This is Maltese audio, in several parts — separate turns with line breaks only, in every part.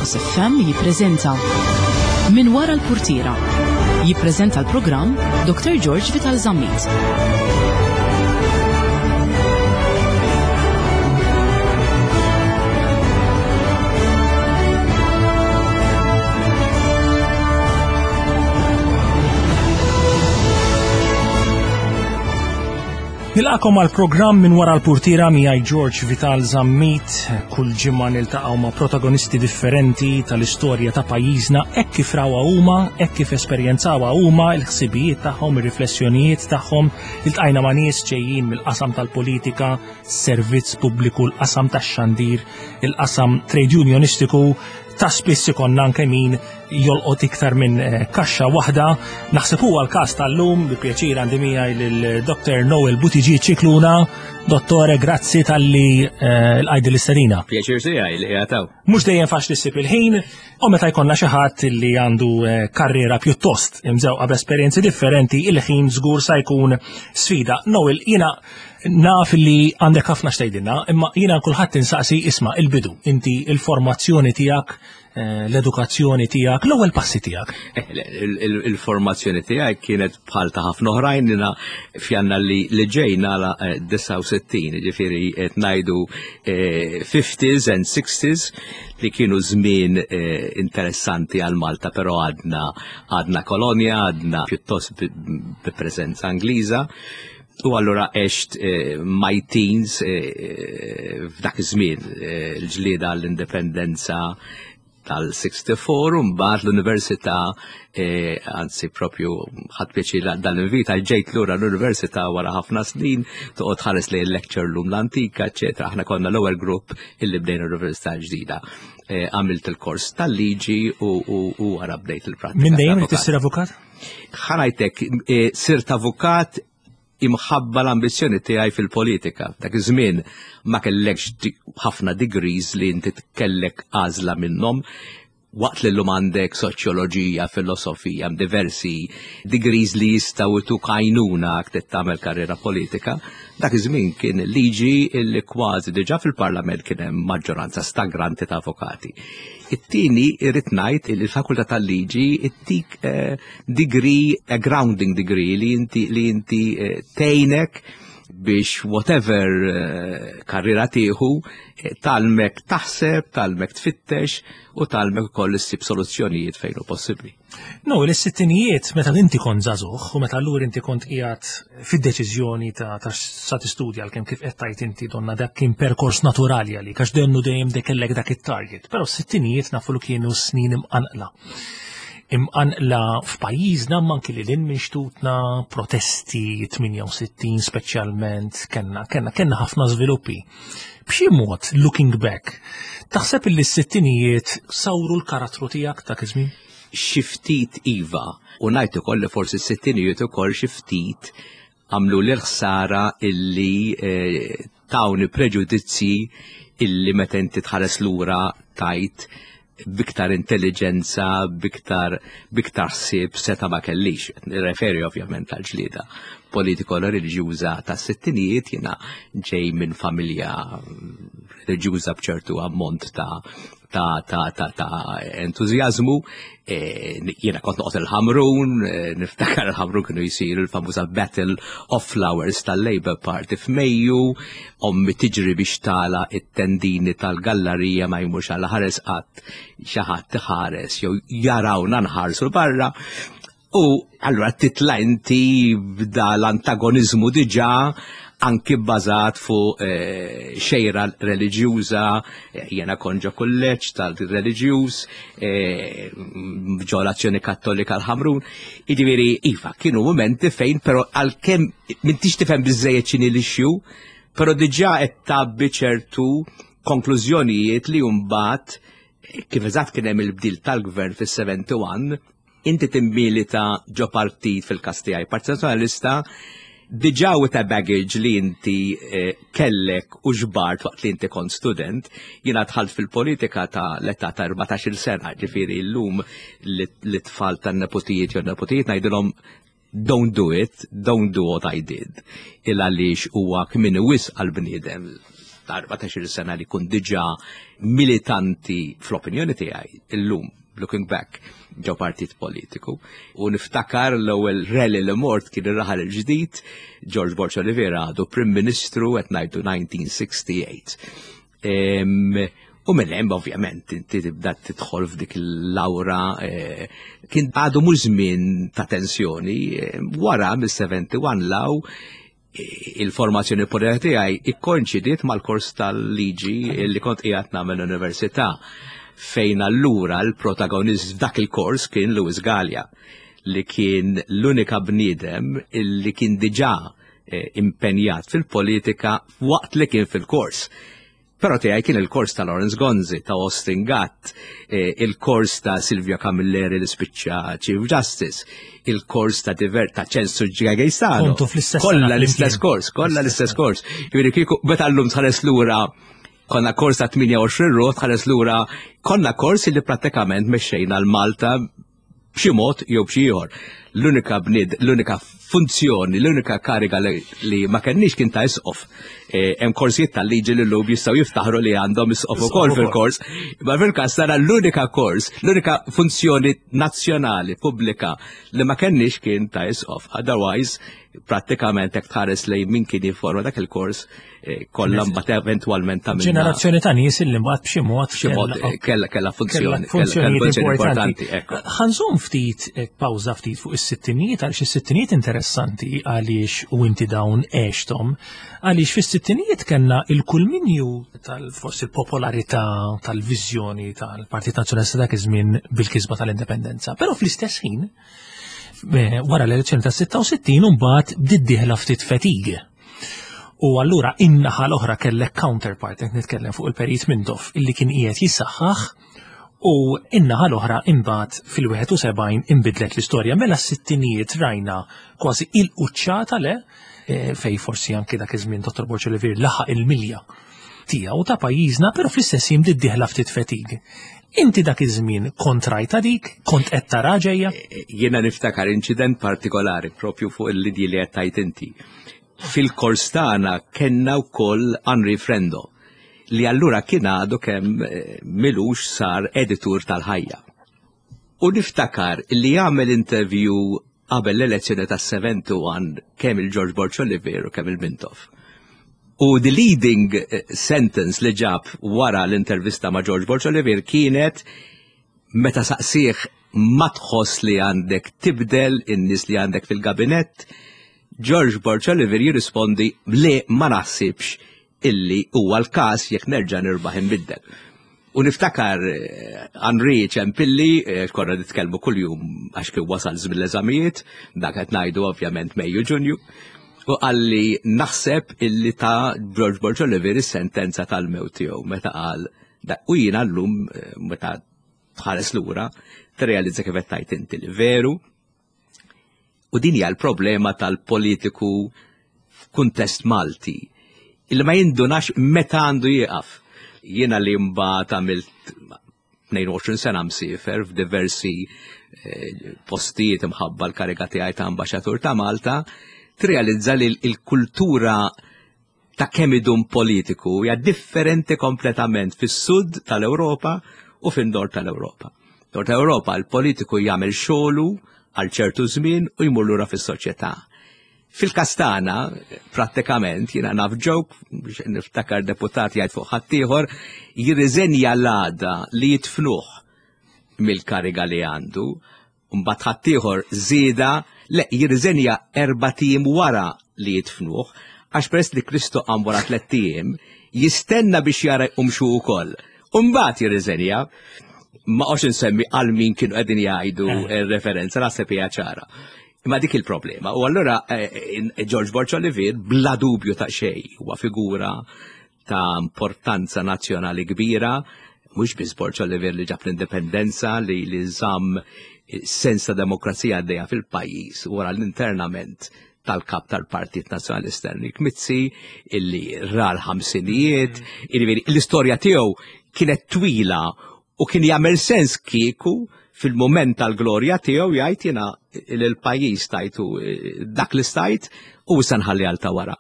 Fokus FM jippreżenta Min wara l-purtiera. Jippreżenta l-programm Dr. George Vital Zammit.
Nilqakom għal programm minn wara l-purtira miegħi George Vital Zammit. Kull ġimgħa niltaqgħu ma' protagonisti differenti tal-istorja ta' pajjiżna hekk kif rawha huma, hekk kif esperjenzawha huma, il-ħsibijiet tagħhom, ir-riflessjonijiet tagħhom. Iltqajna ma' nies ġejjin mill-qasam tal-politika, servizz pubbliku, l-qasam tax-xandir, il-qasam trade unionistiku, ta' spiss ikonna anke min jolqot iktar minn eh, kaxxa waħda. Naħseb huwa l-każ tal-lum bi pjaċir għandi miegħi lil Dr. Noel Buttigieg Ċikluna. Dottore, grazzi tal-li eh, l-qajdi l-istedina.
Pjaċir tiegħi li qiegħed
Mhux dejjem faċli ssib il-ħin, u meta jkollna xi ħadd li għandu eh, karriera pjuttost imżewqa b'esperjenzi differenti, il-ħin żgur sa jkun sfida. Noel, jiena naf li għandek ħafna xtejdinna, imma jiena kulħadd insaqsi isma' il-bidu, inti il-formazzjoni tiegħek eh, l-edukazzjoni tiegħek, l-ewwel passi tiegħek.
Eh, il-formazzjoni tiegħi kienet bħal ta' ħafna oħrajn jiena fjanna li li ġej nala 69, eh, ġifieri qed ngħidu 50s and 60s li kienu żmien interessanti għal Malta, però għadna għadna kolonja, għadna pjuttost bi preżenza Ingliża. U allura għext eh, my teens eh, eh, f'dak iż-żmien l-ġlieda għall-indipendenza tal-64 u mbagħad l-università anzi propju ħadd pjaċir dan l-invita ġejt lura l-università wara ħafna snin toqgħod ħares lejn lecture lum l-antika, eċetera. Aħna konna l-ewwel grupp illi bdejna l-università ġdida. Għamilt il-kors tal-liġi u wara bdejt il-prattika.
Minn dejjem tissir avukat?
Ħanajtek, eh, sirt avukat imħabba l-ambizzjoni tiegħi fil-politika. Dak iż-żmien ma kellekx ħafna degrees li inti kellek għażla minnhom. Waqt li llum għandek soċjoloġija, filosofija, diversi degrees li jistgħu jtuk għajnuna trid tagħmel karriera politika. Dak iż-żmien kien liġi li kważi diġà fil-Parlament kien hemm maġġoranza stagranti ta' avukati. It-tieni irrid ngħid li l-Fakultà tal-Liġi ittik eh, degree, a grounding degree li inti li inti eh, tgħinek biex whatever eh, karriera tieħu talmek taħseb, talmek tfittex u talmek ukoll issib soluzzjonijiet fejn hu possibbli.
No, l-sittinijiet meta inti kont żagħżugħ u meta allura inti kont qiegħed fid-deċiżjoni ta' ta' sa tistudja għalkemm kif qed tgħid inti donna dak kien perkors naturali għalik għax donnu dejjem dik kellek dak it-target. Però s-sittinijiet nafu li kienu snin imqanqla. Imqanqla f'pajjiżna imma anki lil hinn minn xtutna, protesti 68 speċjalment, kellna kellna kellna ħafna żviluppi. B'xi mod, looking back, taħseb illi s-sittinijiet sawru l-karattru tiegħek dak iż-żmien?
Xi ftit iva, u ngħid ukoll li forsi s-sittinijiet ukoll xi ftit għamlu li l-ħsara illi eh, tawni preġudizzji illi meta inti tħares lura tajt biktar intelligenza, biktar biktar ħsieb seta' ma kellix. Nirreferi ovvjament għal ġlieda politiko reliġjuża tas-sittinijiet jiena ġej minn familja reliġjuża b'ċertu ammont ta' ta' ta' ta' ta' entużjażmu. E, jiena kont noqgħod il-Ħamrun, e, niftakar il-Ħamrun kienu jsiru l-famuża Battle of Flowers tal-Labour Party f'Mejju, ommi tiġri biex tala it-tendini tal-gallarija ma jmurx għal ħares qatt xi ħadd iħares jew jarawna nħarsu barra. U allura titla' inti b'da l-antagonizmu diġà anki bbażat fuq eh, xejra reliġjuża, eh, jena kon ġo kulleġġ tal-reliġjuż, eh, ġo l-Azzjoni Kattolika l-Ħamrun. Jiġifieri iva, kienu momenti fejn però għalkemm m'intix tifhem biżejjed x'inhi l-issue, però diġà qed tgħabbi ċertu konklużjonijiet li mbagħad kif eżatt kien hemm il-bdil tal-gvern fis-71, inti timmilita ġo partit fil-każ tiegħi, Partit Nazzjonalista, diġà with a baggage li inti eh, kellek u ġbart waqt li inti kont student, jiena dħalt fil-politika ta' l-età ta' 14-il sena, ġifieri llum li tfal tan-nepotijiet jew nepotijiet ngħidilhom don't do it, don't do what I did. Il għaliex huwa kmini wisq għal-bniedem. ta' 14 sena li kun diġà militanti fl-opinjoni tiegħi illum looking back ġo partit politiku. U niftakar l-ewwel rally li mort kien ir-raħal il-ġdid, George Borg Oliveira għadu Prim Ministru qed ngħidu 1968. U minn hemm ovvjament inti tibda tidħol f'dik il-lawra eh, kien għadu mhux żmien ta' tensjoni eh, wara mill-71 law eh, il-formazzjoni politika tiegħi ikkoinċidiet mal-kors tal-liġi li kont qiegħed nagħmel l-università fejn allura l-protagonist f'dak il-kors kien Louis Gallia li kien l-unika bniedem li kien diġà impenjat fil-politika waqt li kien fil-kors. Però tiegħi kien il-kors ta' Lawrence Gonzi, ta' Austin Gatt, eh, il-kors ta' Silvia Camilleri li spiċċa Chief Justice, il-kors ta' Diver ta' Ċensu Ġgagejsano.
Kontu fl-istess
Kollha l-istess kors, kollha l-istess kors. Jiġifieri kieku meta llum tħares lura konna kors ta' 28 ruħ tħares lura konna kors li prattikament mexxejna l-Malta b'xi mod jew b'xi ieħor. L-unika bnied, l-unika funzjoni, l-unika kariga li ma kenniex kien ta' isqof. E, hemm korsijiet tal-liġi li llum jistgħu jiftaħru li għandhom isqof ukoll fil-kors. Ma fil-każ tara l-unika kors, l-unika funzjoni nazzjonali pubblika li ma kenniex kien ta' isqof. Otherwise, prattikament hekk tħares lejn min kien jifforma dak il-kors Eh, kollha mbagħad eventwalment ta'
Ġenerazzjoni ta' nies illi mbagħad b'xi mod
b'xi mod eh, kellha kellha funzjoni
funzjoni importanti. Ħanżum ftit eh, pawża ftit fuq is-sittinijiet għaliex is-sittinijiet interessanti għaliex u inti dawn għexthom għaliex fis-sittinijiet kellna il-kulminju tal-forsi il-popolarità tal-viżjoni tal-Partit Nazzjonalista dak iż-żmien bil-kisba tal-indipendenza. Però fl-istess ħin wara l-elezzjoni tas-66 mbagħad bdiet dieħla ftit fatigue U allura in-naħa l-oħra kellek counterpart, qed nitkellem fuq il-Perit Mintoff, illi kien qiegħed jissaħħaħ u in-naħa l-oħra imbagħad fil-71 inbidlet l-istorja. Mela s-sittinijiet rajna kważi il-quċċata le eh, fej forsi anki dak iż-żmien Dr. Borg Olivier laħaq il-milja tiegħu ta' pajjiżna, però fl-istess jiem diddieħla ftit fetig. Inti dak iż-żmien kont rajta dik, kont qed tara ġejja?
Eh, eh, jiena niftakar inċident partikolari propju fuq il-lidji li qed tajt inti. Fil-kors tagħna kellna wkoll Henri Frendo li allura kien għadu kemm eh, milux sar editur tal-ħajja. U niftakar li għamel interview qabel l-elezzjoni tas-71 kemm il-George Borg Olivier u kemm il-Mintoff. U the leading eh, sentence li ġab wara l-intervista ma' George Borg Olivier kienet meta saqsih ma tħoss li għandek tibdel in-nies li għandek fil-gabinett, George Borg Olivier jirrispondi li ma naħsibx illi huwa l-każ jekk nerġa' nirbaħ inbiddel. U niftakar eh, Henri Ċempilli, eh, konna nitkellmu kuljum għax kien wasal żmien l-eżamijiet, dak qed ngħidu ovvjament Mejju Ġunju, u qalli naħseb illi ta' George Borg Olivier is-sentenza tal-mewt tiegħu meta qal u jiena llum eh, meta tħares lura tirrealizza kif qed tgħid inti li veru U din hija l-problema tal-politiku f'kuntest Malti illi ma jindunax meta għandu jieqaf. Jiena li mbagħad għamilt 22 sena msiefer f'diversi eh, postijiet imħabba l-kariga tiegħi ta' ambaxxatur ta' Malta, tirrealizza li l-kultura ta' kemm idum politiku hija differenti kompletament fis-sud tal-Ewropa u fin-nord tal-Ewropa. Nord tal-Ewropa l-politiku jagħmel xogħlu għal ċertu żmien u jmur lura fis-soċjetà. Fil-kastana, prattikament, jiena naf ġok, biex niftakar deputat jgħid fuq ħaddieħor, jirriżenja l-għada li jitfnuh mill-kariga li għandu Mbagħad ħaddieħor żieda le jirriżenja erbat ijiem wara li jidfnuh, għax peress li Kristu qam wara tlett ijiem, jistenna biex jara jqumx hu wkoll. U mbagħad jirriżenja. Ma qgħodx insemmi għal min kienu qegħdin jgħidu eh. referenza, naħseb hija ċara. Imma dik il-problema. U allura eh, eh, George Borg Olivier bla dubju ta' xejn huwa figura ta' importanza nazzjonali kbira, mhux biss Borg Olivier li ġab l-indipendenza li li żamm sens ta' demokrazija għaddejja fil-pajjiż wara l-internament tal-kap tal-Partit Nazzjonalista Enrique Mizzi illi ra l-ħamsinijiet, mm. l-istorja tiegħu kienet twila u kien jagħmel sens kieku fil-moment tal-glorja tiegħu jgħid jiena l-pajjiż tajtu eh, dak li stajt u issa nħalli għal ta' wara.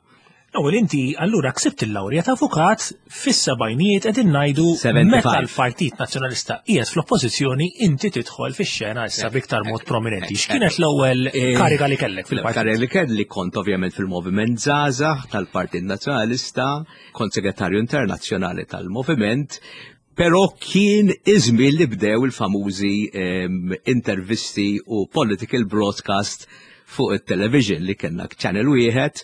Ewwel inti allura ksibt il-lawrja ta' avukat fis-sebgħinijiet qegħdin ngħidu meta l-Partit Nazzjonalista qiegħed fl-oppożizzjoni inti tidħol fix-xena issa b'iktar mod prominenti. X'kienet l-ewwel eh, kariga li kellek fil-partit?
Kariga li kelli kont ovvjament fil-Moviment Żgħażagħ tal-Partit Nazzjonalista, kont segretarju internazzjonali tal-Moviment, Pero kien iż-żmien li bdew il-famużi ehm, intervisti u political broadcast fuq it-television li kellna channel wieħed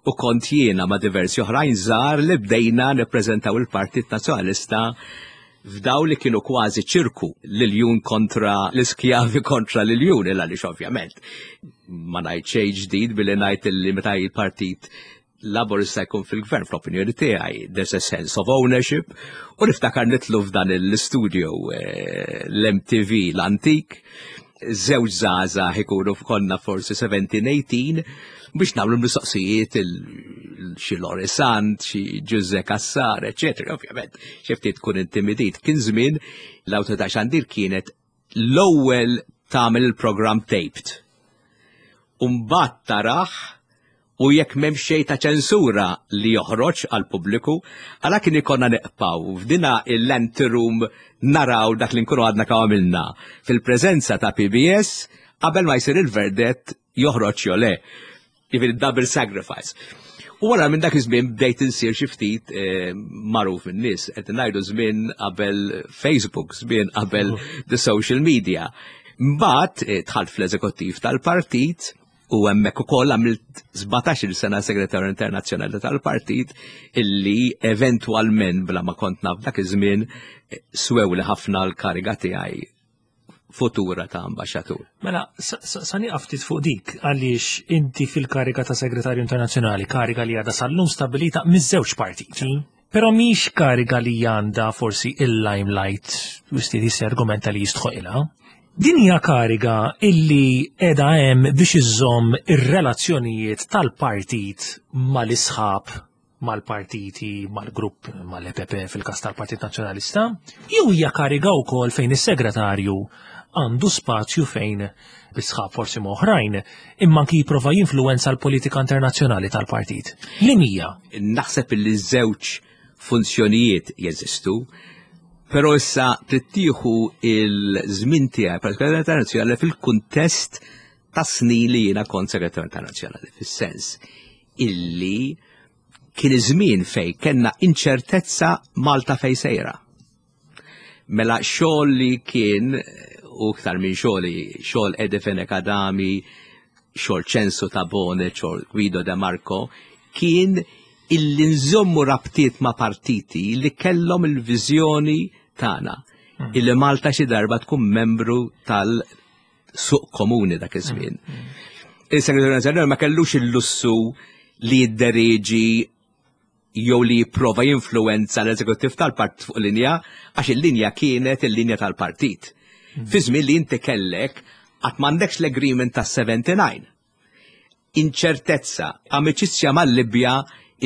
u kont jiena ma' diversi oħrajn żgħar li bdejna nippreżentaw il-Partit Nazzjonalista f'daw li kienu kważi ċirku l-iljun kontra l-iskjavi kontra l-iljun, il għaliex ovvjament ma ngħid xejn ġdid billi ngħid li meta il-partit Laburista jkun fil-gvern fl-opinjoni tiegħi there's a sense of ownership u niftakar nitlu f'dan l-studio eh, l-MTV l-antik żewġ żgħażagħ ikunu konna forsi 17-18 biex nagħmlu mistoqsijiet xi Lori Sant, xi Ġuże Kassar, eċetera. Ovvjament, xi ftit tkun intimidit. Kien żmien l-awtorità xandir kienet l-ewwel tagħmel il-programm taped. Umbagħad taraħ u jekk m'hemm xejn ta' ċensura li joħroġ għal pubbliku, għala kien ikonna neqpaw f'dina l-anteroom naraw dak li nkunu għadna kemm għamilna fil-preżenza ta' PBS qabel ma jsir il-verdett joħroġ jew le. Jiġifieri double sacrifice. U wara minn dak iż-żmien bdejt insir xi ftit eh, magħruf min-nies, qed ngħidu żmien qabel Facebook, żmien qabel the social media. Mbagħad eh, dħalt fl-eżekuttiv tal-partit u hemmhekk ukoll għamilt 17-il sena segretarju internazzjonali tal-partit illi eventwalment bla ma kont naf dak iż-żmien eh, swewli ħafna l-kariga tiegħi futura ta' ambaxxatur.
Mela, sa nieqaf ftit fuq dik għaliex inti fil-kariga ta' segretarju internazzjonali, kariga li għadha sal-lum stabilita miż-żewġ partiti. Però mhix kariga li għandha forsi il-limelight, wieħed jista' argumenta li jistħoqilha. Din hija kariga illi qiegħda hemm biex iżżomm ir-relazzjonijiet tal-partit mal-isħab mal-partiti, mal-grupp, mal-EPP fil-każ tal-Partit Nazzjonalista, jew hija kariga wkoll fejn is-segretarju għandu spazju fejn bi sħab forsi ma' oħrajn, imma anki jipprova jinfluwenza l-politika internazzjonali tal-partit. Li hija?
Naħseb li żewġ funzjonijiet jeżistu, però issa trid tieħu il-żmien tiegħi bħala internazzjonali fil-kuntest ta' snin li jiena kont segretarju internazzjonali, fis-sens illi kien iż-żmien fej kellna inċertezza Malta fej sejra. Mela xogħol li kien u iktar minn xogħli, xogħol Eddie Fenech Adami, xogħol Ċensu Tabone, xogħol Guido De Marco, kien illi nżommu rabtiet ma' partiti li kellhom il-viżjoni tagħna hmm. illi Malta xi darba tkun membru tal suq komuni dak iż-żmien. Mm, mm. Il-Segretarju Nazzjonali ma kellux il-lussu li jidderieġi jew li jipprova jinfluwenza l-eżekuttiv tal-partit fuq linja għax il-linja kienet il-linja tal-partit. Mm. Fi żmien li inti kellek qatt m'għandekx l-agreement tas-79. Inċertezza, amiċizzja mal-Libja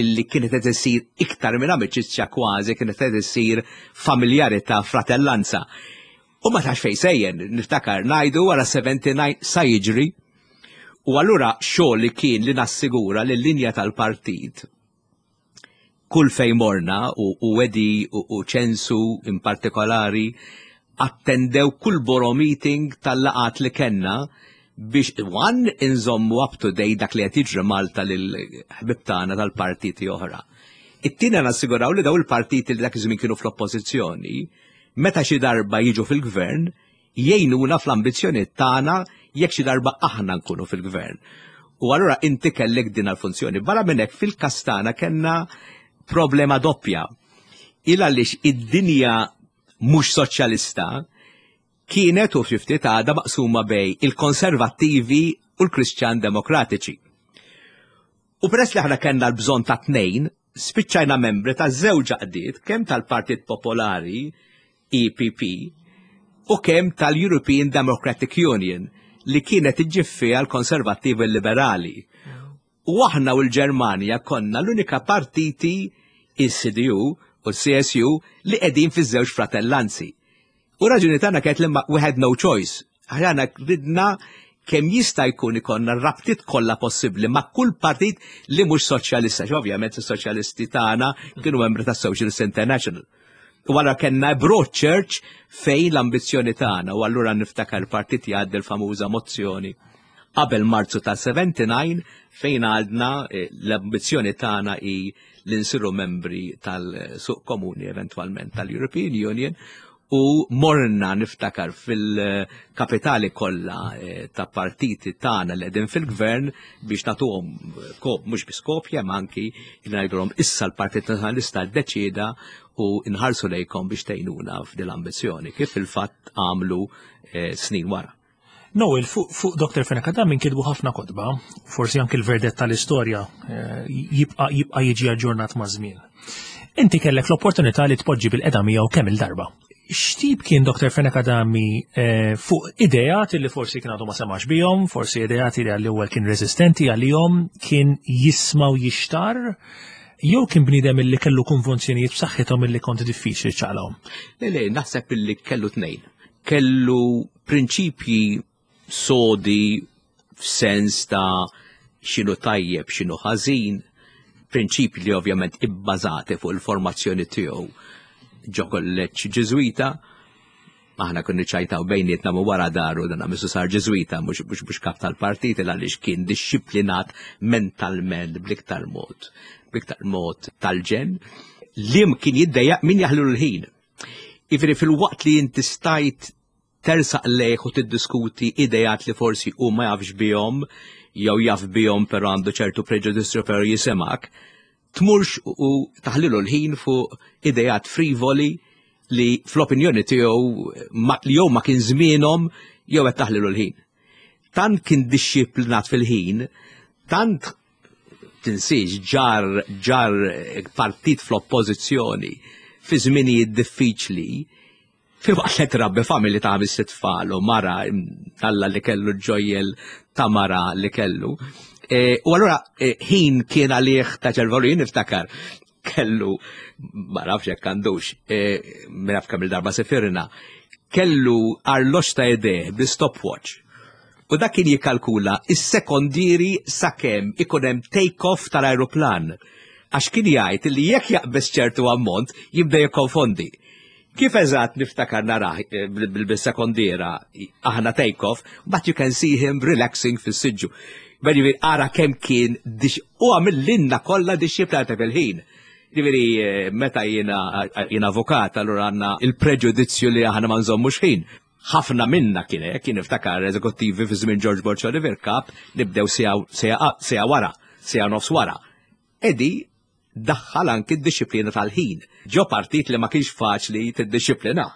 illi kienet qed isir iktar minn amiċizzja kważi kienet qed isir familjarità fratellanza. U ma tafx fejn sejjer, niftakar ngħidu wara 79 sa jiġri. U allura xogħol li kien li nassigura li l-linja tal-partit kull fejn morna u, u wedi u, u ċensu in partikolari attendew kull boro meeting tal-laqat li kenna biex one inżommu up to date dak li qed jiġri Malta lil ħbib tagħna tal-partiti oħra. It-tieni nassiguraw li daw il-partiti li dak iż-żmien kienu fl-oppożizzjoni meta xi darba jiġu fil-gvern, jgħinuna fl-ambizzjonijiet tagħna jekk xi darba aħna nkunu fil-gvern. U allura inti kellek din l-funzjoni. Barra minn hekk fil-każ tagħna kellna problema doppja. Il għaliex id-dinja mhux soċjalista kienet u ftit għadha maqsuma bej il-konservattivi u l-Kristjan Demokratiċi. U peress li aħna kellna l-bżonn ta' tnejn, spiċċajna membri ta' żewġ għaqdiet, kemm tal-Partit Popolari, EPP, u kemm tal-European Democratic Union li kienet iġġib fiha l-Konservattivi Liberali. U aħna u l-Ġermanja konna l-unika partiti il-CDU u l-CSU li qegħdin fiż-żewġ fratellanzi. U raġuni tagħna kienet li we had no choice. Aħna ridna kemm jista' jkun ikollna rabtiet kollha possibbli ma' kull partit li mhux soċjalista, ovvjament is-soċjalisti tagħna kienu membri tas-Socialist International. U allura kellna broad church fejn l-ambizzjoni tagħna u allura niftakar partit jgħaddi l-famuża mozzjoni qabel Marzu ta' 79 fejn għadna eh, l-ambizzjoni tagħna hi li nsiru membri tal-suq komuni eventwalment tal-European Union u morna niftakar fil-kapitali kollha eh, ta' partiti tagħna li qegħdin fil-gvern biex nagħtuhom kop mhux biss kopja ma anki li ngħidulhom issa l-Partit Nazzjonalista ddeċieda u nħarsu lejkom biex tgħinuna f'din l-ambizzjoni kif fil-fatt għamlu eh, snin wara.
Noel, fuq fu Dr. Fenech Adami nkitbu ħafna kotba, forsi anki l-verdett tal-istorja eh, jibqa' jibqa' jiġi aġġornat ma' żmien. Inti kellek l-opportunità li tpoġġi bil-qeda miegħu kemm il-darba. X'tip kien Dr. Fenech Adami eh, fuq ideat li forsi kien għadu ma semax bihom, forsi ideat li għall-ewwel kien reżistenti għalihom, kien jisma' u jixtar, jew kien bniedem illi kellu konvenzjonijiet b'saħħithom illi kont diffiċli ċaqlahom?
Le, le, naħseb illi kellu tnejn. Kellu prinċipji sodi f'sens ta' x'inhu tajjeb, x'inhu ħażin, prinċipji li ovvjament ibbażati fuq il-formazzjoni tiegħu ġo kolleġġ Ġiżwita, aħna konna ċajtaw bejnietna ma wara daru dan għamisu sar Ġiżwita mhux mhux kap tal-partit għaliex kien dixxiplinat mentalment bl-iktar mod, bl-iktar mod tal-ġen, li kien jiddejjaq min jaħlu l-ħin. Jiġifieri fil-waqt li inti stajt tersaq lejh u tiddiskuti idejat li forsi hu ma jafx bihom jew jaf bihom però għandu ċertu preġudizzju però jisimak, tmurx u taħlilu l-ħin fuq idejat frivoli li fl-opinjoni tiegħu li jew ma kien żmienhom jew qed taħlilu l-ħin. Tant kien dixxiplinat fil-ħin, tant tinsiex ġar ġar partit fl-oppożizzjoni fi żminijiet diffiċli filwaqt li trabbi familji ta' ħames tfal u mara alla li kellu ġojjel ta' mara li kellu. E, u allura e, ħin kien għalih ta' ċervolu jien niftakar kellu ma nafx jekk għandux, e, minn naf kemm il-darba sefirna, kellu arloġġ ta' ideh bi stopwatch. U dak kien jikkalkula is-sekondieri sakemm ikun hemm take-off tal-ajruplan. Għax kien jgħid li jekk jaqbeż ċertu ammont jibda jikkonfondi. Kif eżatt niftakar narah eh, bil-sekondiera aħna take-off, but you can see him relaxing fis-siġġu. Ġifieri ara kemm kien u għamillinna kollha dixxiplata fil-ħin. Ġifieri eh, meta jiena jien avukat, allura għandna il-preġudizzju li aħna ma nżommux ħin. Ħafna minna kien hekk, jien niftakar eżekuttivi fi żmien George Borg Oliver Kap nibdew sija wara, sija nofs wara. Edi daħħal anki d-dixxiplina tal-ħin. Ġo partit li ma kienx faċli tiddixxiplina.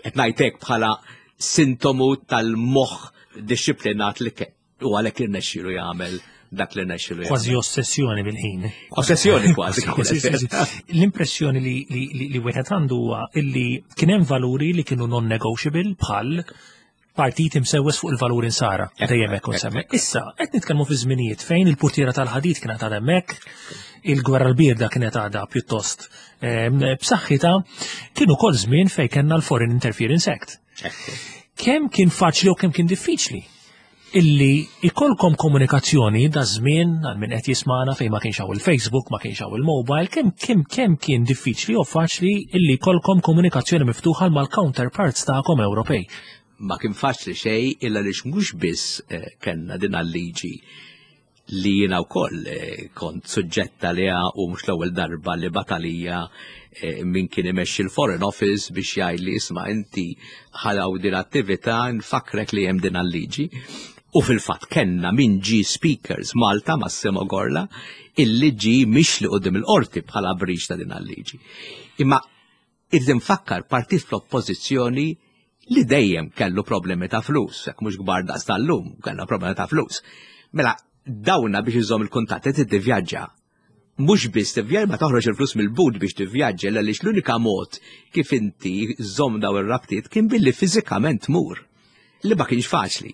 Qed ngħidlek bħala sintomu tal-moħħ dixxiplinat li u għalhekk irnexxielu jagħmel dak li rnexxielu jagħmel.
Kważi ossessjoni bil-ħin.
Ossessjoni kważi.
L-impressjoni li wieħed għandu huwa illi kien hemm valuri li kienu non-negotiable bħal partit imsewwes fuq il-valuri nsara, dejjem hekk semmi. Issa, qed nitkellmu fi żminijiet fejn il-purtiera tal-ħadid kienet għadha hemmhekk, il-gwerra l-bierda kienet għadha pjuttost ehm, b'saħħitha, kien ukoll żmien fejn kellna l-Foreign Interference Act. Kemm kien faċli u kemm kien diffiċli illi ikolkom komunikazzjoni da żmien għal min qed jismana fejn ma kienx hawn il-Facebook, ma kienx hawn il-mobile, kemm kemm kemm kien diffiċli u faċli illi jkollkom komunikazzjoni miftuħa mal-counterparts tagħkom Ewropej.
Ma kien faċli xejn illa lix mhux biss eh, kellna din liġi li jiena wkoll eh, kont suġġetta liha u mhux l-ewwel darba li batalija eh, min kien imexxi l-Foreign Office biex jgħid li isma' inti ħalaw din attività nfakrek li hemm din liġi U fil-fatt kellna min ġi speakers Malta Massimo Gorla illi ġi mixli qudiem il-qorti bħala breach ta' din liġi Imma Irrid infakkar partit fl-oppożizzjoni li dejjem kellu problemi ta' flus, jekk mhux kbar daqs tal-lum, kellna problemi ta' flus. Mela, dawna biex iżomm il-kuntatti trid tivvjaġġa. Mhux biss tivvjaġġa ma toħroġ il-flus mill-but biex tivvjaġġa, għaliex l-unika mod kif inti żomm daw ir-rabtiet kien billi fiżikament tmur. Li ma kienx faċli.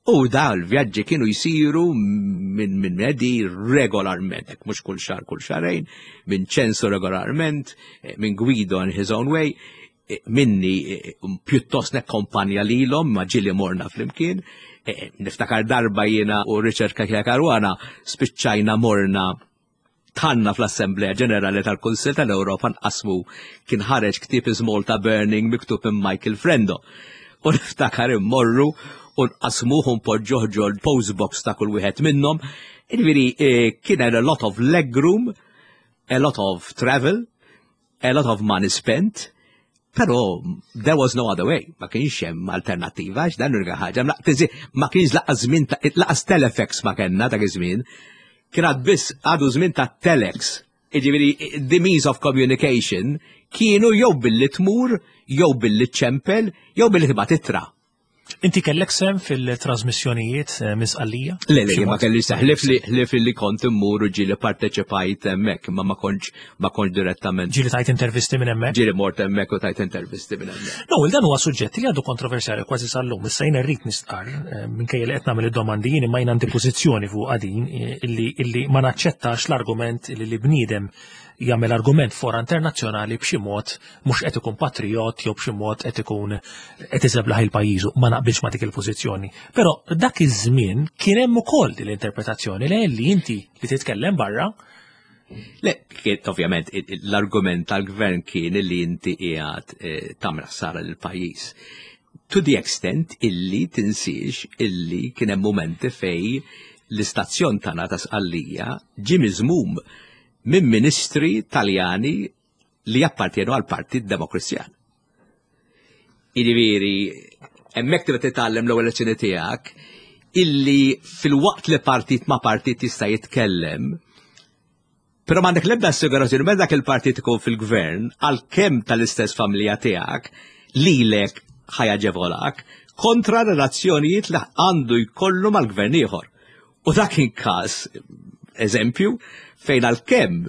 U da l-vjaġġi kienu jsiru minn min Eddie regolarment, hekk mhux kull xahar kull xahrejn, minn ċensu regolarment, eh, minn Guido in his own way, eh, minni eh, pjuttost nekkompanja lilhom ma ġieli morna flimkien. E, e, niftakar darba jiena u Richard Cachia Caruana spiċċajna morna tanna fl-Assemblea Ġenerali tal-Kunsill tal-Ewropa nqasmu kien ħareġ ktieb Is Malta Burning miktub minn Michael Frendo. U niftakar immorru u nqasmuh u npoġġuh ġol postbox ta' kull wieħed minnhom. Jiġifieri eh, kien a lot of legroom, a lot of travel, a lot of money spent, pero there was no other way, ma kienx hemm alternattiva, għax dan l-unika ħaġa, ma kienx laqas żmien laqas telefex ma kellna dak iż-żmien, kien għad biss għadu żmien ta' telex. Jiġifieri the means of communication kienu jew billi tmur, jew billi ċempel, jew billi tibgħat ittra.
Inti kellek sem fil-trasmissjonijiet eh, minn Sqallija?
Le, le, ma kelli sehem, ħlief li ħlief li kont immur u ġieli parteċipajt hemmhekk, ma ma kontx ma kontx direttament.
Ġieli tajt intervisti minn hemmhekk?
Ġieli mort hemmhekk u tajt intervisti minn hemmhekk.
No, dan huwa suġġett li għadu kontroversjali kważi sal-lum. Issa jiena rrid nistqarr eh, minkejja li qed nagħmel id-domandi jien imma jien għandi pożizzjoni fuq din eh, illi illi ma naċċettax l-argument li li bniedem jagħmel argument fora internazzjonali b'xi mod mhux qed ikun patrijot jew b'xi mod qed ikun qed iżeblaħ il-pajjiżu, ma naqbilx ma' dik il-pożizzjoni. Però dak iż-żmien kien hemm ukoll din l-interpretazzjoni li li inti li titkellem barra.
Le, ovvjament, l-argument tal-gvern kien li inti qiegħed eh, tagħmel ħsara lill-pajjiż. To the extent illi tinsiex illi kien hemm momenti fej l-istazzjon tagħna ta' Sqallija ġie miżmum minn ministri Taljani li jappartjenu għal Partit Demokristjan. Jiġifieri, hemmhekk tibda titgħallem l-ewwel lezzjoni tiegħek illi fil-waqt li partit ma' partit jista' jitkellem, però m'għandek l-ebda assigurazzjoni meta dak il-partit ikun fil-gvern għalkemm tal-istess familja tiegħek lilek ħa jaġevolak kontra relazzjonijiet li għandu jkollu mal-gvern ieħor. U dak kien każ eżempju fejn għalkemm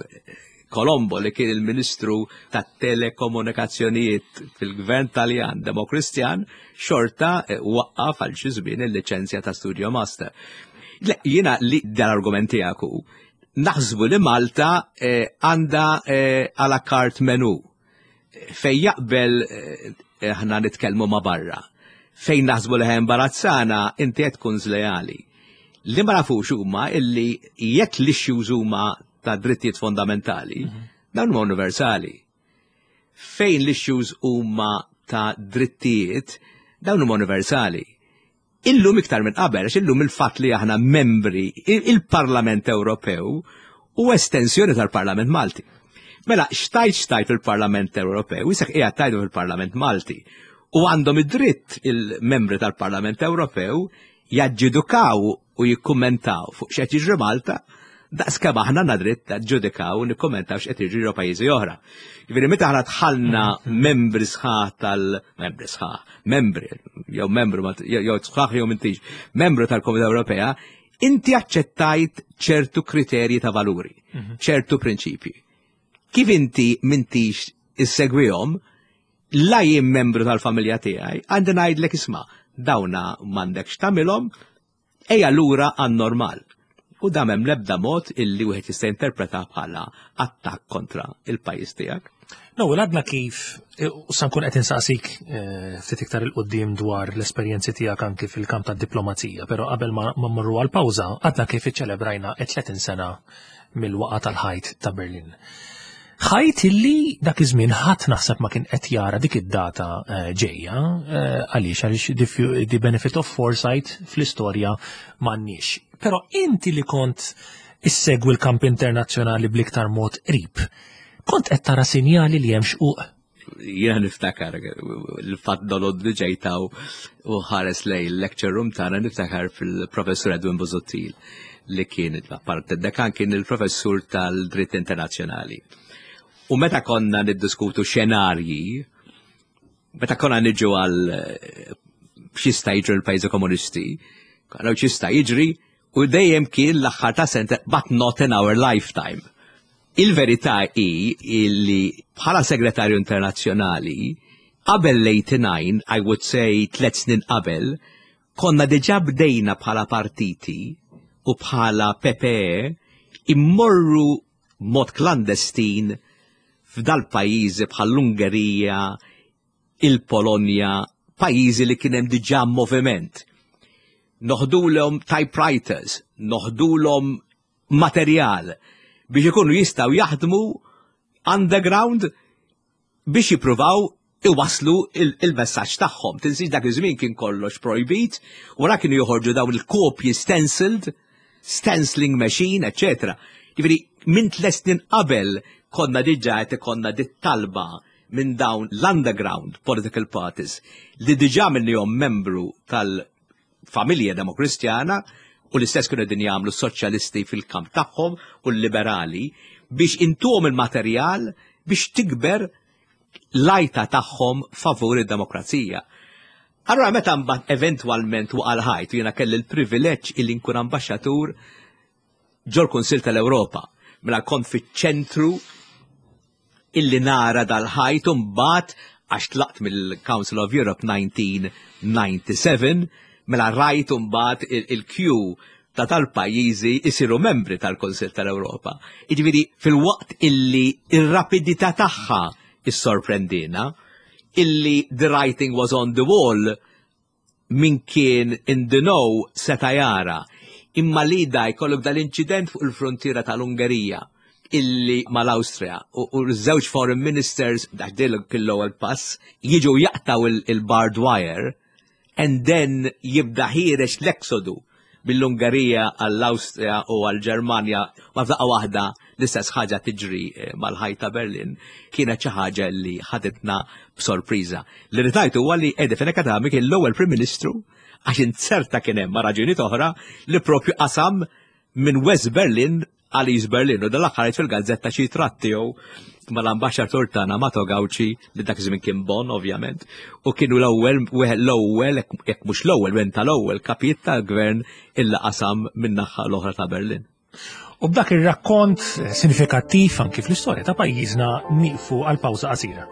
Colombo li kien il-Ministru tat-Telekomunikazzjonijiet fil-Gvern Taljan Demokristjan xorta eh, waqqaf għal xi żmien il-liċenzja ta' Studio Master. Jiena li dan argument tiegħek hu naħsbu li Malta eh, għandha eh, à la carte menu fej jaqbel eh, aħna nitkellmu ma' barra. Fejn naħsbu li imbarazzana inti qed tkun żlejali. Li ma nafux huma illi jekk l-issues huma ta' drittijiet fondamentali, mhm. dawn huma universali. Fejn l-issues huma ta' drittijiet, dawn huma universali. Illum iktar minn qabel, għax illum il-fatt li aħna membri il-Parlament Ewropew u estensjoni tal-Parlament Malti. Mela, xtajt xtajt fil-Parlament Ewropew, isek qiegħed tajdu fil-Parlament Malti. U għandhom id-dritt il-membri tal-Parlament Ewropew jaġġidukaw u jikkummentaw fuq x'qed jiġri Malta, daqs kemm aħna għandna dritt naġġudikaw u nikkummentaw x'qed jiġri ġo pajjiżi oħra. Jiġifieri meta aħna dħalna membri sħaħ tal-membri sħaħ, membri jew membru jew sħaħ jew m'intix, membru tal-Komunità Ewropea, inti aċċettajt ċertu kriterji ta' valuri, mhm. ċertu prinċipji. Kif inti m'intix issegwihom, la jien membru tal-familja tiegħi, għandi ngħidlek isma' dawna m'għandekx tagħmilhom, ejja lura għan-normal. U dam hemm l-ebda mod illi wieħed jista' jinterpreta bħala attakk kontra il-pajjiż tiegħek.
No, għadna kif, e, u sa nkun qed insaqsik e, ftit iktar il-qoddim dwar l-esperjenzi tiegħek anki fil-kamp tad-diplomazija, però qabel ma mmorru għal pawża, għadna kif iċċelebrajna 30 sena mill-waqa tal-ħajt ta' Berlin. Ħajt illi dak iż-żmien ħadd naħseb ma kien qed jara dik id-data eh, ġejja eh, għaliex għaliex the benefit of foresight fl-istorja m'għandniex. Però inti li kont issegwi l-kamp internazzjonali bl-iktar mod qrib, kont qed tara sinjali li hemm xquq
jiena niftakar il-fatt dolod li ġejtaw u ħares lej il-lecture room tagħna niftakar fil-professur Edwin Busuttil li kien apparti dekan kien il-professur tal-dritt internazzjonali. U meta konna niddiskutu xenarji, meta konna niġu għal eh, x'jista' jiġri l-pajjiżi komunisti, għal x'jista' jiġri u dejjem kien l-aħħar ta' sente but not in our lifetime. Il-verità hi li bħala segretarju internazzjonali qabel l-89, I would say tlet snin qabel, konna diġà bdejna bħala partiti u bħala PPE immorru mod klandestin f'dal-pajjiżi bħall-Ungerija, il-Polonja, pajjiżi li kien hemm diġà moviment. Noħdulhom typewriters, noħdulhom materjal biex ikunu jistgħu jaħdmu underground biex jippruvaw iwasslu il-messaġġ tagħhom. Tinsiex dak iż-żmien kien kollox projbit, wara kienu joħorġu dawn il-kopji stenciled, stenciling machine, eċetera. Jiġifieri minn tliet snin qabel konna diġà qed ikollna dit-talba minn dawn l-underground political parties li diġà minnihom membru tal-familja demokristjana u l-istess kienu qegħdin jagħmlu s-soċjalisti fil-kamp tagħhom u l-liberali biex intuhom il-materjal biex tikber l-għajta tagħhom favur id-demokrazija. Allura meta mbagħad eventwalment waqa' l-ħajt u jiena kelli l-privileġġ illi nkun ambaxxatur ġol-Kunsill tal-Ewropa, mela kont fiċ-ċentru illi nara dal-ħajt u mbagħad għax tlaqt mill-Council of Europe 1997, mela rajt mbagħad il-Q ta' tal-pajjiżi jsiru membri tal-Kunsill tal-Ewropa. Jiġifieri fil-waqt illi ir-rapidità tagħha issorprendina, illi the writing was on the wall min kien in the know seta' jara. Imma li da jkollok dal-inċident fuq il-frontiera tal-Ungerija illi mal-Awstrija u ż-żewġ foreign ministers dak kien l-ewwel pass jiġu jaqtaw il-barbed wire and then jibda ħiereġ l-exodu mill-Ungerija għall-Awstrija u għall-Ġermanja ma f'daqqa waħda l-istess ħaġa tiġri eh, mal-ħajt ta' Berlin kienet xi ħaġa li ħaditna b'sorpriża. Li rritajt huwa li Eddie Fenech Adami kien l-ewwel Prim Ministru għax inzerta kien hemm ma' raġunijiet oħra li propju qasam minn West Berlin għal East Berlin u dal-aħħar fil-gazzetta xi tratt tiegħu mal-ambaxxatur tagħna Mato Gauci li dak iż-żmien kien Bonn ovvjament u kienu l-ewwel wieħed l-ewwel jekk mhux l-ewwel wieħed tal-ewwel kapijiet tal-gvern illa qasam min-naħa l-oħra ta' Berlin.
U b'dak ir-rakkont sinifikattiv anki fl-istorja ta' pajjiżna nieqfu għal pawża qasira.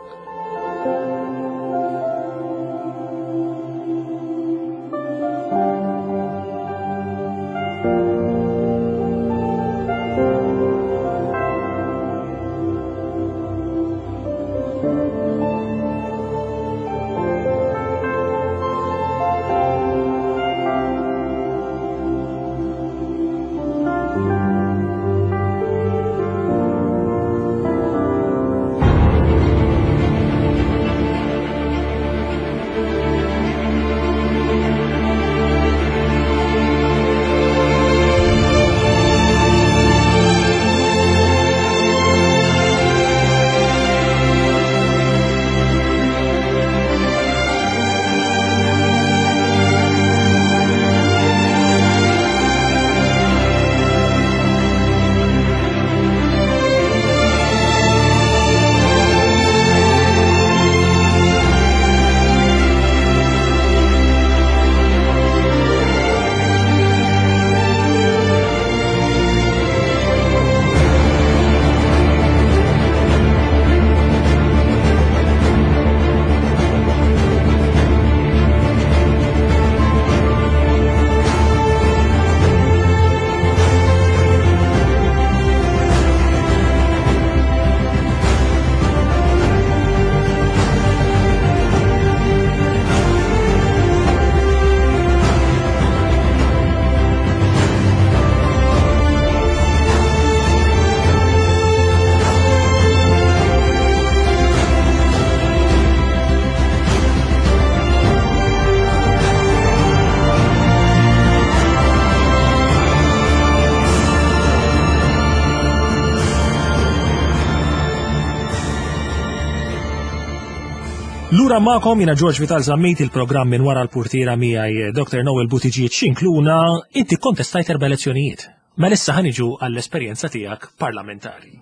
Lura magħkom jiena George Vital Zammit il-programm minn wara l-purtiera miegħi eh, Dr. Noel Buttigieg xinkluna inti kontestajt erba' elezzjonijiet. Mela issa ħaniġu għall-esperjenza tiegħek parlamentari.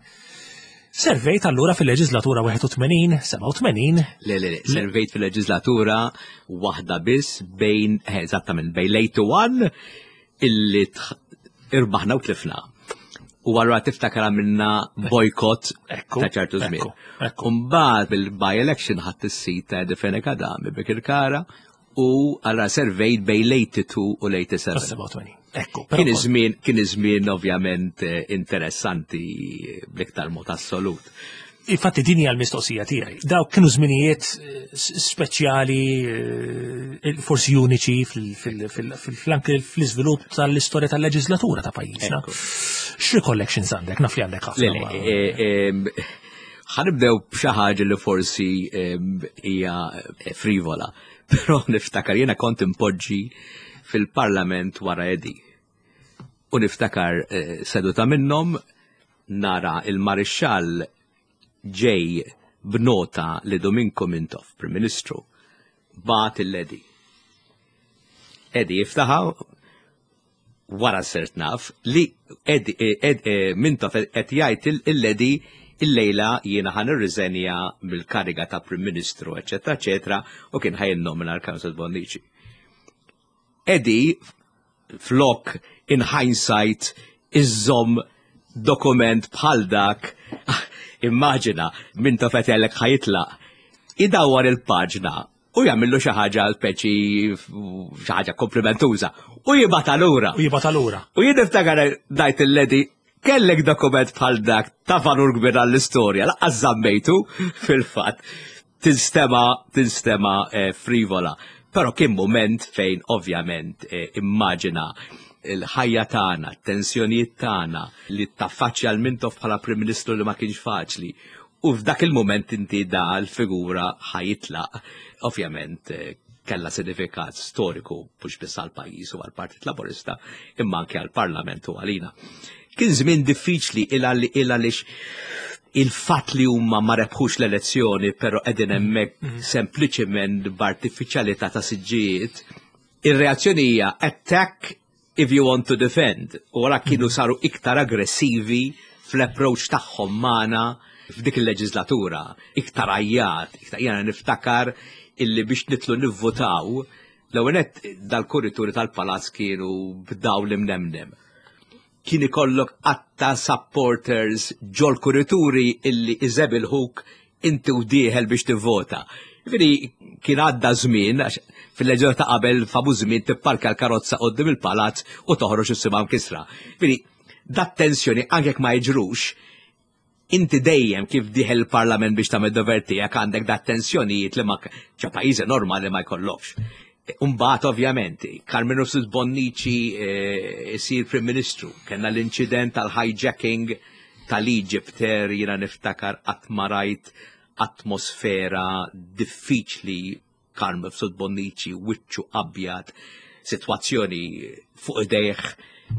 Servejt allura fil-leġislatura 81, 87?
Le, le, le, servejt fil-leġislatura waħda biss bejn, eh, eżattament, bejn l-81 illi irbaħna u tlifna. U għallura tiftakar għamilna bojkot ta' ċertu żmien. Umbagħad bil-by-election ħadd is-sit ta' Defene Kadami Bekirkara u għallura servejt bejn l-82 u l-87.
Ekku,
kien iż-żmien kien iż-żmien ovvjament eh, interessanti bl-iktar mod assolut.
Infatti din hija l-mistoqsija tiegħi. Dawk kienu żminijiet speċjali, forsi uniċi fil-anke fl-iżvilupp tal-istorja tal-leġislatura ta' pajjiżna. X'recollections għandek? Naf li għandek ħafna.
Ħa nibdew b'xi ħaġa li forsi hija frivola, però niftakar jiena kont impoġġi fil-Parlament wara Eddie. U niftakar seduta minnhom nara il-Marixxall ġej b'nota li Dominko Mintoff, Prim Ministru, bagħat lil Eddie. Eddie jiftaħa wara sirt naf li Ed, Mintoff qed jgħid lil Eddie illejla jiena ħa nirriżenja mill-kariga ta' Prim Ministru, eċetera, eċetera, u kien ħa jinnomina l-Council Bonnici. Eddie, flok in hindsight iżżomm dokument bħal dak, immaġina Mintoff qed jgħidlek ħa jitlaq, idawwar il-paġna u jagħmillu xi ħaġa speċi xi ħaġa komplimentuża u jibgħatha lura.
U jibgħatha lura.
U jien niftakar ngħid lil Eddie kellek dokument bħal dak ta' valur kbir għall-istorja, lanqas żammejtu fil-fatt. Tinstema frivola. Però kien moment fejn ovvjament immaġina il-ħajja tagħna, tensjonijiet tagħna li taffaċċja l-Mintoff bħala Prim Ministru li ma kienx faċli. U f'dak il-moment inti da l-figura ħa jitlaq. Ovvjament kella sinifikat storiku mhux biss għall-pajjiż u għall-Partit Laburista, imma anke għall-Parlament u għalina. Kien żmien diffiċli il għaliex il-fatt li huma ma rebħux l-elezzjoni, però qegħdin hemmhekk sempliċement b'artifiċjalità ta' siġġijiet, ir-reazzjoni hija attack if you want to defend. U wara kienu saru iktar aggressivi fl-approach tagħhom magħna f'dik il-leġislatura, iktar għajjat, iktar jiena niftakar illi biex nidħlu nivvotaw, l-ewwel dal-kurituri tal-palazz kienu b'dawl imnemnem. Kien ikollok għadd ta' supporters ġol kurituri illi iżebilħuk inti u dieħel biex tivvota. Ġifieri kien għadda żmien, għax fil-leġislatura ta' qabel famuż żmien tipparka l-karozza qoddim il-palazz u toħroġ issibha mkisra. Ġifieri dat tensjoni anke jekk ma jiġrux, inti dejjem kif dieħel il-Parlament biex tagħmel dover tiegħek għandek dat tensjonijiet li ma ċa pajjiżi normali ma jkollokx. Umbagħad ovvjament, Karmenu Mifsud Bonnici isir Prim Ministru, kellna l-inċident tal-hijacking tal-Egypt Air, jiena niftakar qatt ma rajt atmosfera diffiċli, Karmenu Mifsud Bonnici, wiċċu abjad, sitwazzjoni fuq idejh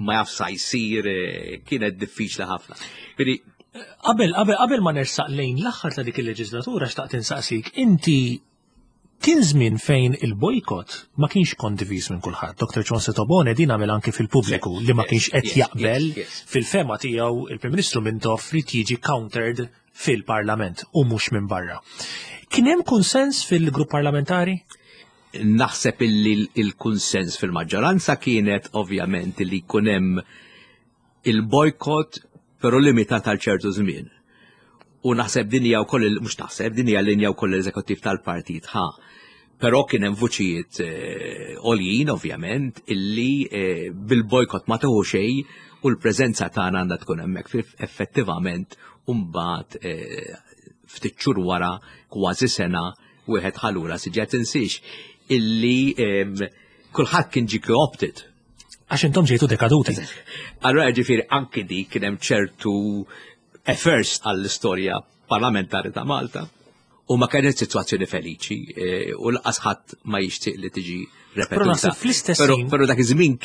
ma jaf sa jsir, kienet diffiċli ħafna. Quindi,
Qabel ma nersaq lejn l-aħħar ta' dik il-leġislatura xtaqt insaqsik, inti kien żmien fejn il-bojkot ma kienx kondiviż minn kulħadd. Dr. John Tabone din għamel anke fil-pubbliku li ma kienx qed jaqbel fil-fehma tiegħu il-Prim Ministru Mintoff li jiġi countered fil-Parlament u mhux minn barra. Kien hemm konsens fil-grupp parlamentari?
Naħseb illi il-kunsens fil-maġġoranza kienet ovvjament li jkun hemm il-bojkot però limitat għal ċertu żmien. U naħseb din hija wkoll mhux naħseb din hija linja wkoll l-eżekuttiv tal-partit ħa. Però kien hemm vuċijiet għoljin ovvjament illi bil-bojkot ma tieħu xejn u l-preżenza tagħna għandha tkun hemmhekk effettivament u mbagħad ftit xhur wara kważi sena wieħed ħa lura siġġa tinsiex illi kulħadd kien ġie co-opted.
Għax intom ġejtu dekaduti.
Allora ġifieri anki dik kien hemm ċertu first għall-istorja parlamentari ta' Malta. U ma kienet sitwazzjoni feliċi u lanqas ħadd ma jixtieq li tiġi
Però
repetuta.
naħseb fl-istess
Però
ħin
dak iż-żmien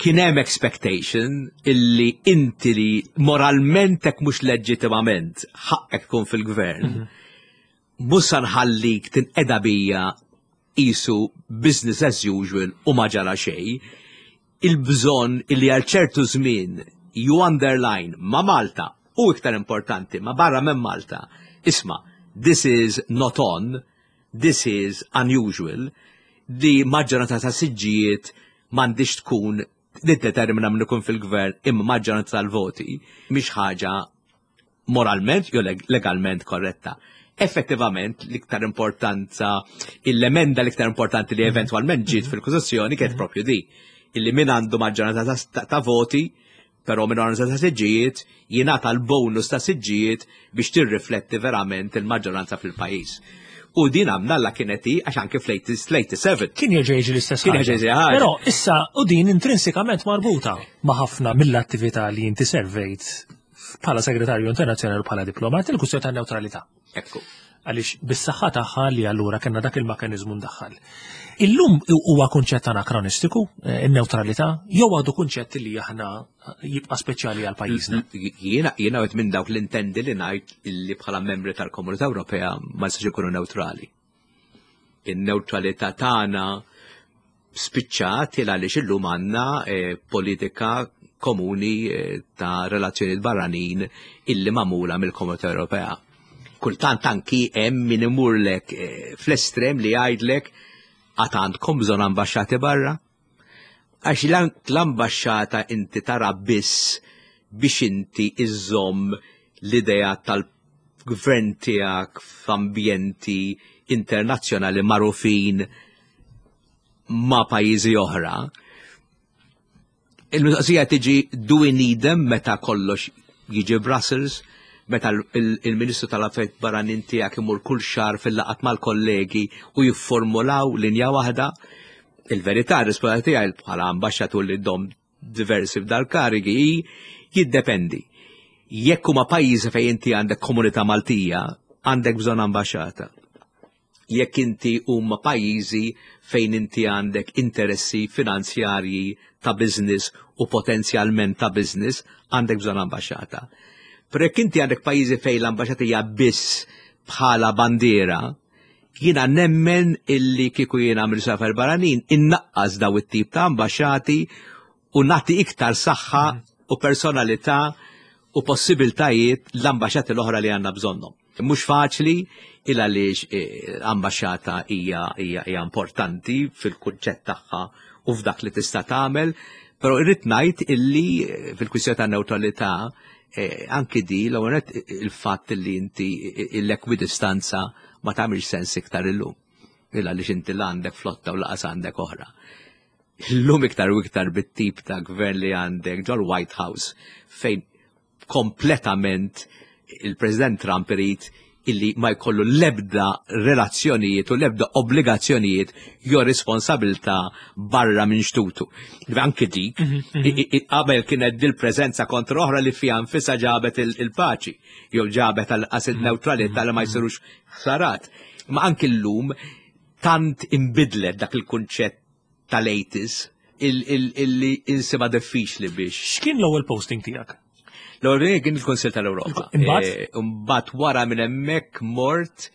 kien hemm expectation illi inti li moralment hekk mhux leġittimament ħaqqek tkun fil-gvern, mhux sa nħallik tinqeda bija qisu business as usual u ma ġara xejn, il-bżonn illi għal ċertu żmien you underline ma' Malta u iktar importanti ma' barra minn Malta, isma', this is not on, this is unusual, li maġġoranza ta' siġġijiet m'għandix tkun niddetermina min ikun fil-gvern imma maġġoranza tal-voti mhix ħaġa moralment jew legalment korretta. Effettivament l-iktar importanza, l-emenda l-iktar importanti li eventwalment ġiet fil-Kostituzzjoni kienet propju di, illi min għandu maġġoranza ta' voti Però minoranza ta' siġġijiet jingħata l-bonus ta' siġġijiet biex tirrifletti verament il-maġġoranza fil-pajjiż. U din għamna la kienet hi għax anke fl-87.
Kien jerġa' jiġi l-istess
Kien jerġa' jiġi ħaġa.
Però issa u din intrinsikament marbuta ma' ħafna mill-attività li inti servejt bħala segretarju internazzjonali u bħala diplomat il-kwistjoni tan-newtralità.
Ekku.
Għaliex bis-saħħa tagħha li allura kellna dak il-mekkaniżmu ndaħħal. Illum huwa kunċett anakronistiku, eh, in-newtralità, jew għadu kunċett li aħna jibqa' speċjali għal pajjiżna.
Jiena jiena għed minn dawk l-intendi li ngħid illi bħala membri tal-Komunità Ewropea ma nistax ikunu neutrali. In-neutralità tagħna spiċċat il għaliex illum għandna eh, politika komuni eh, ta' relazzjonijiet barranin illi magħmula mill-Komunità Ewropea. Kultant anki hemm min imurlek eh, fl-estrem li jgħidlek għad għandkom bżonn ambaxxati barra. Għax l-ambaxxata inti tara biss biex inti iżżomm l-idea tal-gvern tiegħek f'ambjenti internazzjonali magħrufin ma' pajjiżi oħra. Il-mistoqsija tiġi do we need them meta kollox jiġi Brussels, meta il-Ministru tal-Affarijiet Barranin tiegħek imur kull xahar fil-laqat mal-kollegi u jifformulaw linja waħda. Il-verità, r-risposta tiegħi bħala ambaxxatur li dom diversi f'dal-karigi hi jiddependi. Jekk huma pajjiżi fejn inti għandek komunità Maltija, għandek bżonn ambaxxata. Jekk inti huma pajjiżi fejn inti għandek interessi finanzjarji ta' business u potenzjalment ta' business, għandek bżonn ambaxxata. Però jekk inti għandek pajjiżi fejn l-ambaxxata hija biss bħala bandiera, jiena nemmen illi kieku jiena Ministru Affarijiet Barranin innaqqas daw it-tip ta' ambaxxati u nagħti iktar saħħa u personalità u possibiltajiet l-ambaxxati l-oħra li għandna bżonnhom. Mhux faċli il għaliex eh, ambaxxata hija hija importanti fil-kunċett tagħha u f'dak li tista' tagħmel, però irrid ngħid illi eh, fil-kwistjoni ta' neutralità eh, anki di l il-fatt li inti l-ekwidistanza ma tagħmilx sens iktar illum. Il għaliex inti l għandek flotta u laqas għandek oħra. Illum iktar u iktar bit-tip ta' gvern li għandek ġol White House fejn kompletament il-President Trump irid illi ma jkollu lebda relazzjonijiet u lebda obbligazzjonijiet jew responsabilità barra minn xtutu. Anki dik, mhm, mhm. qabel kienet dil-preżenza kontra oħra li fiha nfisha ġabet il-paċi, jew ġabet għal il-neutralità li ma jsirux ħsarat. Ma anki llum tant imbidlet dak il-kunċett tal-80s illi insibha diffiċli biex.
X'kien l-ewwel posting tiegħek?
L-ewwel kien il-Kunsill tal-Ewropa.
Imbagħad?
Eh, imbagħad wara minn hemmhekk mort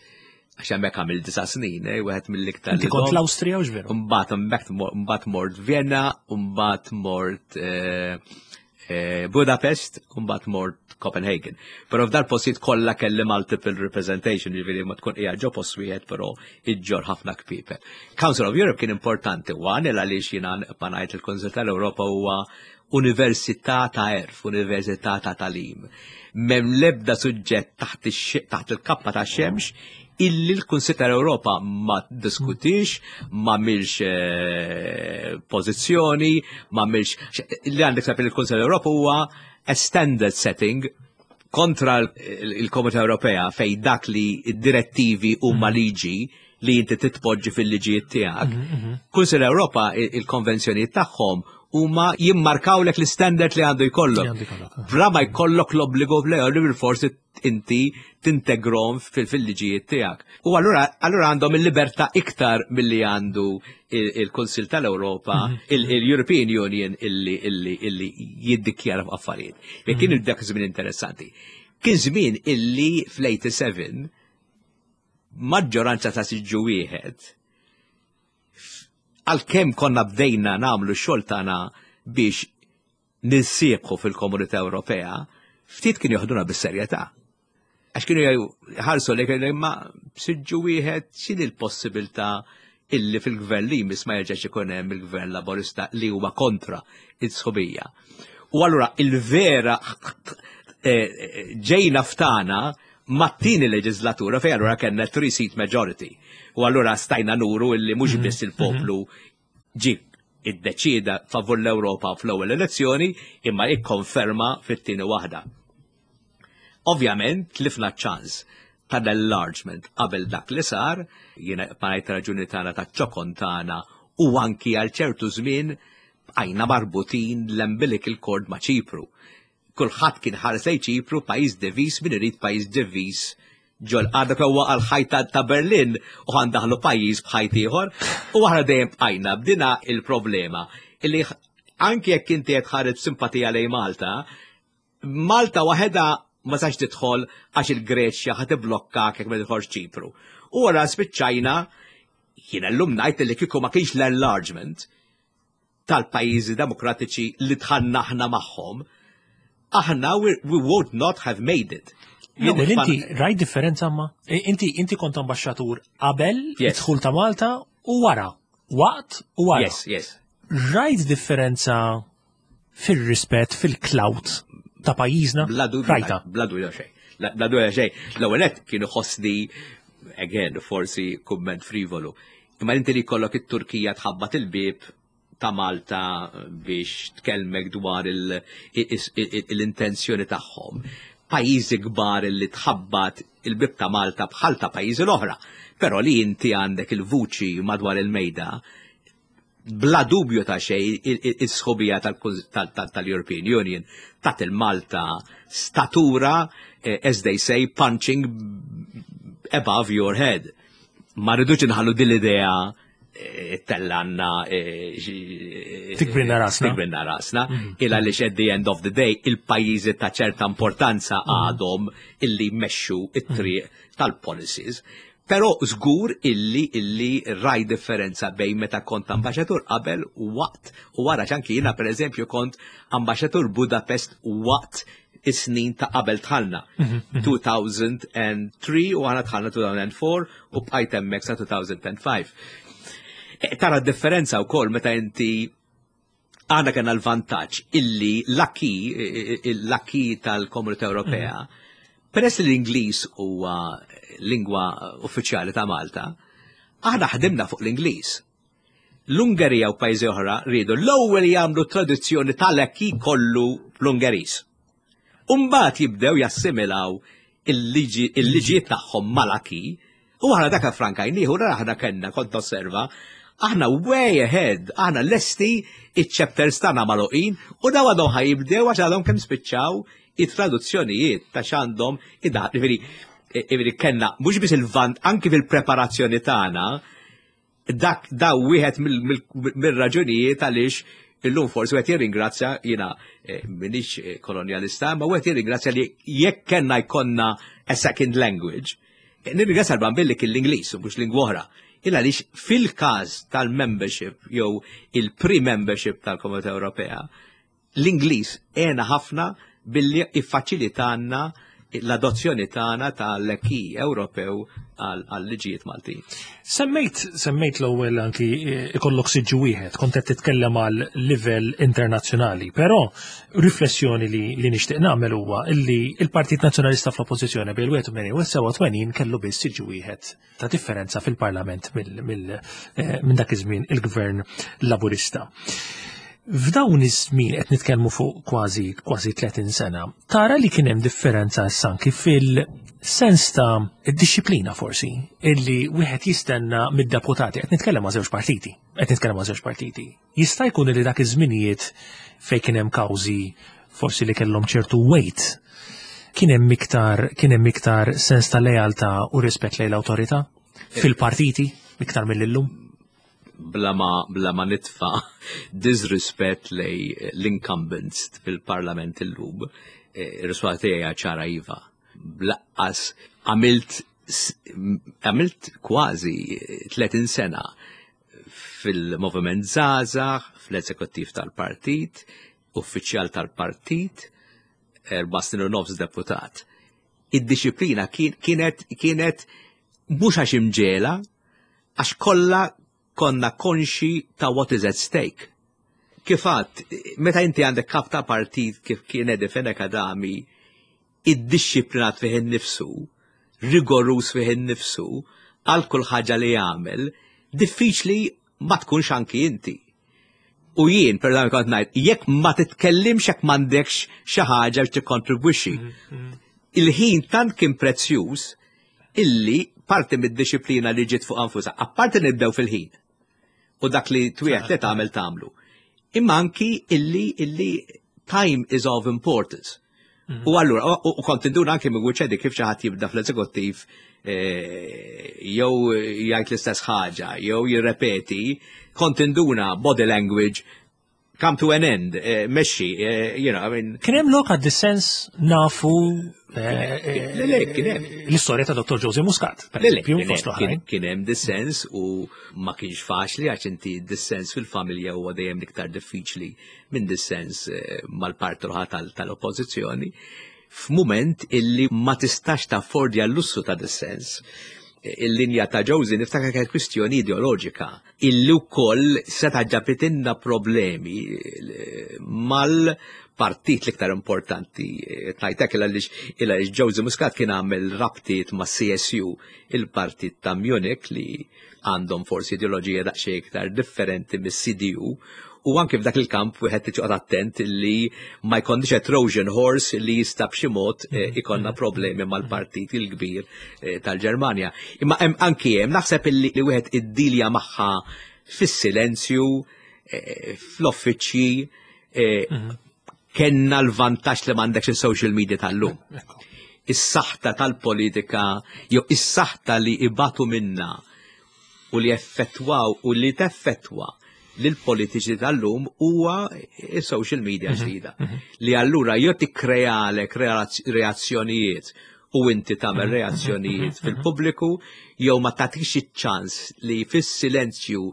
għax hemmhekk għamil disa' snin, eh, wieħed mill-iktar.
Inti kont l-Awstrija u x'veru?
Imbagħad hemmhekk imbagħad mort Vienna, imbagħad mort eh, Eh, Budapest, u mbagħad mort Copenhagen. Però f'dal postijiet kollha kelli multiple representation, jiġifieri ma tkun qiegħed ġo post wieħed però iġġor ħafna kpiepel. Council of Europe kien importanti one il għaliex jiena ma ngħid il-Kunsill tal-Ewropa huwa università ta' erf, università ta' talim. Mem lebda suġġett taħt il-kappa ta' xemx illi l-Kunsill tal-Ewropa ma diskutix, ma milx eh, pożizzjoni, ma milx li għandek sapir il-Kunsill tal-Ewropa huwa a standard setting kontra il-Komunità Ewropea fej dak li d-direttivi huma mhm. liġi li inti titpoġġi fil-liġijiet tiegħek. Mhm, mhm. Kunsill Ewropa il-konvenzjonijiet tagħhom huma jimmarkawlek l-istandard li għandu jkollok. Eh. Bla ma jkollok l-obbligu li bil-forsi inti tintegrom fil-liġijiet tiegħek. U allura allura għandhom il-libertà iktar milli għandu il-Kunsill tal-Ewropa, mhm. il-European Union illi illi illi jiddikjara fuq affarijiet. Jekk kien mhm. dak żmien interessanti. Kien żmien illi fl-87 maġġoranza ta' siġġu wieħed għalkemm konna bdejna nagħmlu x-xogħol tagħna biex ninsieħbu fil-Komunità Ewropea, ftit kienu joħduna bis-serjetà. Għax kienu ħarsu li kienu imma siġġu wieħed x'inhi l-possibilità illi fil-gvern li jmiss ma jerġax ikun hemm il-gvern laborista li huwa kontra id-sħubija. U allura il-vera eh, eh, ġejna ftana mat-tieni leġislatura fejn allura kellna three seat majority. U allura stajna nuru illi mhux mhm. biss il-poplu mhm. ġi Iddeċieda favur l-Ewropa fl-ewwel elezzjoni imma ikkonferma fit-tieni waħda. Ovvjament tlifna ċans tal-enlargement qabel dak li sar, jiena ngħid raġuni tagħna taċ-ċokon tagħna u anki għal ċertu żmien bqajna marbutin l-umbilical cord ma' Ċipru. Kulħadd kien ħares lejn Ċipru pajjiż diviż min irid pajjiż diviż ġol għadha kemm għal ħajta ta' Berlin u ħandaħlu pajjiż b'ħajt ieħor u aħna dejjem bqajna b'dina il-problema illi anki jekk inti qed ħares simpatija lejn Malta, Malta waħedha ma sax tidħol għax il-Greċja ħa tiblokkak jekk ma tidħolx Ċipru. U wara spiċċajna jiena llum ngħid li kieku ma kienx l-enlargement tal-pajjiżi demokratiċi li dħalna aħna magħhom, aħna we would not have made it.
Jien inti rajt differenza ma? Inti inti kont ambaxxatur qabel id-dħul ta' Malta u wara. Waqt u wara.
Yes.
Rajt differenza fir-rispett fil-clout ta' pajjiżna?
Bla dubju. Rajta. Bla dubju xejn. Bla dubju xejn. L-ewwel nett kienu ħossni again forsi kumment frivolu. Imma inti li jkollok it-Turkija tħabbat il-bieb ta' Malta biex tkellmek dwar l-intenzjoni tagħhom. Pajjiżi kbar li tħabbat il-bieb ta' Malta bħal ta' pajjiżi l-oħra. Però li inti għandek il-vuċi madwar il-mejda bla dubju ta' xejn is-sħubija tal-European Union tat il-Malta statura, as they say, punching above your head. Ma rridux inħallu din l-idea tellanna
Tikbrinna rasna.
Tikbrinna rasna. Illa li at the end of the day il-pajjiżi ta' ċerta importanza għadhom illi jmexxu it-triq tal-policies. Però żgur illi rajt differenza bejn meta kont ambaxxatur qabel u waqt u wara anki jiena pereżempju kont ambaxxatur Budapest waqt is-snin ta' qabel dħalna. 2003 u aħna dħalna 2004 u bqajt hemmhekk sa 2005. Tara differenza wkoll meta inti għandna kellna l-vantaġġ illi l-acquis tal-Komunità Ewropea, peress li l-Ingliż huwa lingwa uffiċjali ta' Malta, aħna ħdimna fuq l-Ingliż. L-Ungerija u pajjiżi oħra riedu l-ewwel jagħmlu traduzzjoni tal-acquis kollu fl-Ungeriż. Umbagħad jibdew jassimilaw il-liġijiet tagħhom mal-acquis u aħna dak frankajnieh u aħna kellna kont osserva aħna way ahead, aħna lesti iċ-chapters tagħna magħluqin u daw għadhom ħa jibdew għax għadhom kemm spiċċaw it-traduzzjonijiet ta' x'għandhom id Ġifieri kellna mhux biss il-vant anki fil-preparazzjoni tagħna dak daw wieħed mill-raġunijiet għaliex illum forsi wieħed jirringrazzja jiena m'iniex kolonjalista, ma wieħed jirringrazzja li jekk kellna jkollna a second language, nirringrazzja l-Bambin li kien l-Ingliż u mhux lingwa oħra. Illa għaliex fil-każ tal-membership jew il-pre-membership tal-Komunità Ewropea, l-Ingliż għena ħafna billi iffaċilitanna l-adozzjoni tagħna tal-acquis Ewropew għal-liġijiet Maltin.
Semmejt l-ewwel anki ikollok siġġu wieħed, kont qed titkellem għal livell internazzjonali, però riflessjoni li nixtieq nagħmel huwa illi il-Partit Nazzjonalista fl-Oppożizzjoni bejn 81 u 87 kellu biss siġġu wieħed ta' differenza fil-Parlament minn dak iż-żmien il-Gvern Laburista. F'dawn iż-żmien qed nitkellmu fuq kważi kważi 30 sena, tara li kien hemm differenza issa anki fil-sens ta' dixxiplina forsi illi wieħed jistenna mid-deputati qed nitkellem ma' żewġ partiti, qed nitkellem ma' żewġ partiti. Jista' jkun li dak iż-żminijiet fejn kien hemm kawżi forsi li kellhom ċertu weight, kien hemm iktar kien hemm iktar sens ta' lealtà u rispett lejn l-awtorità fil-partiti iktar mill-illum?
Bla ma nitfa disrispett lejn l-incumbents fil-parlament illum, ir-risposta tiegħi ċara iva. Blaqqas għamilt kważi 30 sena fil-moviment Żgħażagħ, fl-eżekuttiv tal-partit, uffiċjal tal-partit, 4 snin u nofs deputat. Id-dixxiplina kienet mhux għax imġiegħla, għax kollha konna konxi ta' what is at stake. Kif għedt, meta inti għandek kap ta' partit kif kien Eddie Fenech Adami, iddixxiplinat fih innifsu, rigorus fih innifsu, għal kull ħaġa li jagħmel, diffiċli ma tkunx anki inti. U jien, per eżempju, kont ngħid, jekk ma titkellimx jekk m'għandekx xi ħaġa biex tikkontribwixxi. Il-ħin tant kien prezzjuż illi parti mid-dixxiplina li ġiet fuq anfusa, apparti nibdew fil-ħin. U dak li twiegħed li tagħmel tagħmlu. Imma anki illi illi time is of importance. U allura, u kont induna anki minn wiċċedi kif xi ħadd jibda fl-eżekuttiv eh, jew jgħid l-istess ħaġa, jew jirrepeti, kont induna body language come to an end, eh, mexxi, eh, you know, I mean.
Kien hemm lok għad-dissens nafu l-istorja ta' Dr. Jose Muscat, per eżempju, fost l-oħrajn.
Kien hemm dissens u ma kienx faċli għax inti dissens fil-familja huwa dejjem iktar diffiċli minn dissens eh, mal-parti l tal-oppożizzjoni f'mument illi ma tistax taffordja l-lussu ta' dissens. Il-linja ta' Josie niftakar kienet kwistjoni ideoloġika illi wkoll seta' ġabitinna problemi eh, mal-partit l-iktar importanti. Eh, Tajtek il għaliex Josie Muscat kien għamel rabtiet ma' CSU, il-partit ta' Munich li għandhom forsi ideoloġija daqsxejn iktar differenti mis-CDU u anke f'dak il-kamp wieħed irid joqgħod attent li ma jkollniex a Trojan horse li jista' b'xi mod eh, mhm. ikollna mhm. problemi mal-partit il-kbir eh, tal-Ġermanja. Imma hemm anki hemm naħseb li wieħed iddilja magħha fis-silenzju, eh, fl-offiċċji, mhm. kenna l-vantaġġ li m'għandekx il-social media tal-lum. Is-saħta tal-politika jew is-saħta li ibatu minna u li effettwaw u li teffettwa lil politiċi tal-lum huwa il-social media mhm, ġdida. Mhm. Li allura jew tikkrealek reazzjonijiet u inti tagħmel mhm, reazzjonijiet fil-pubbliku jew ma tagħtix iċ-ċans li fis-silenzju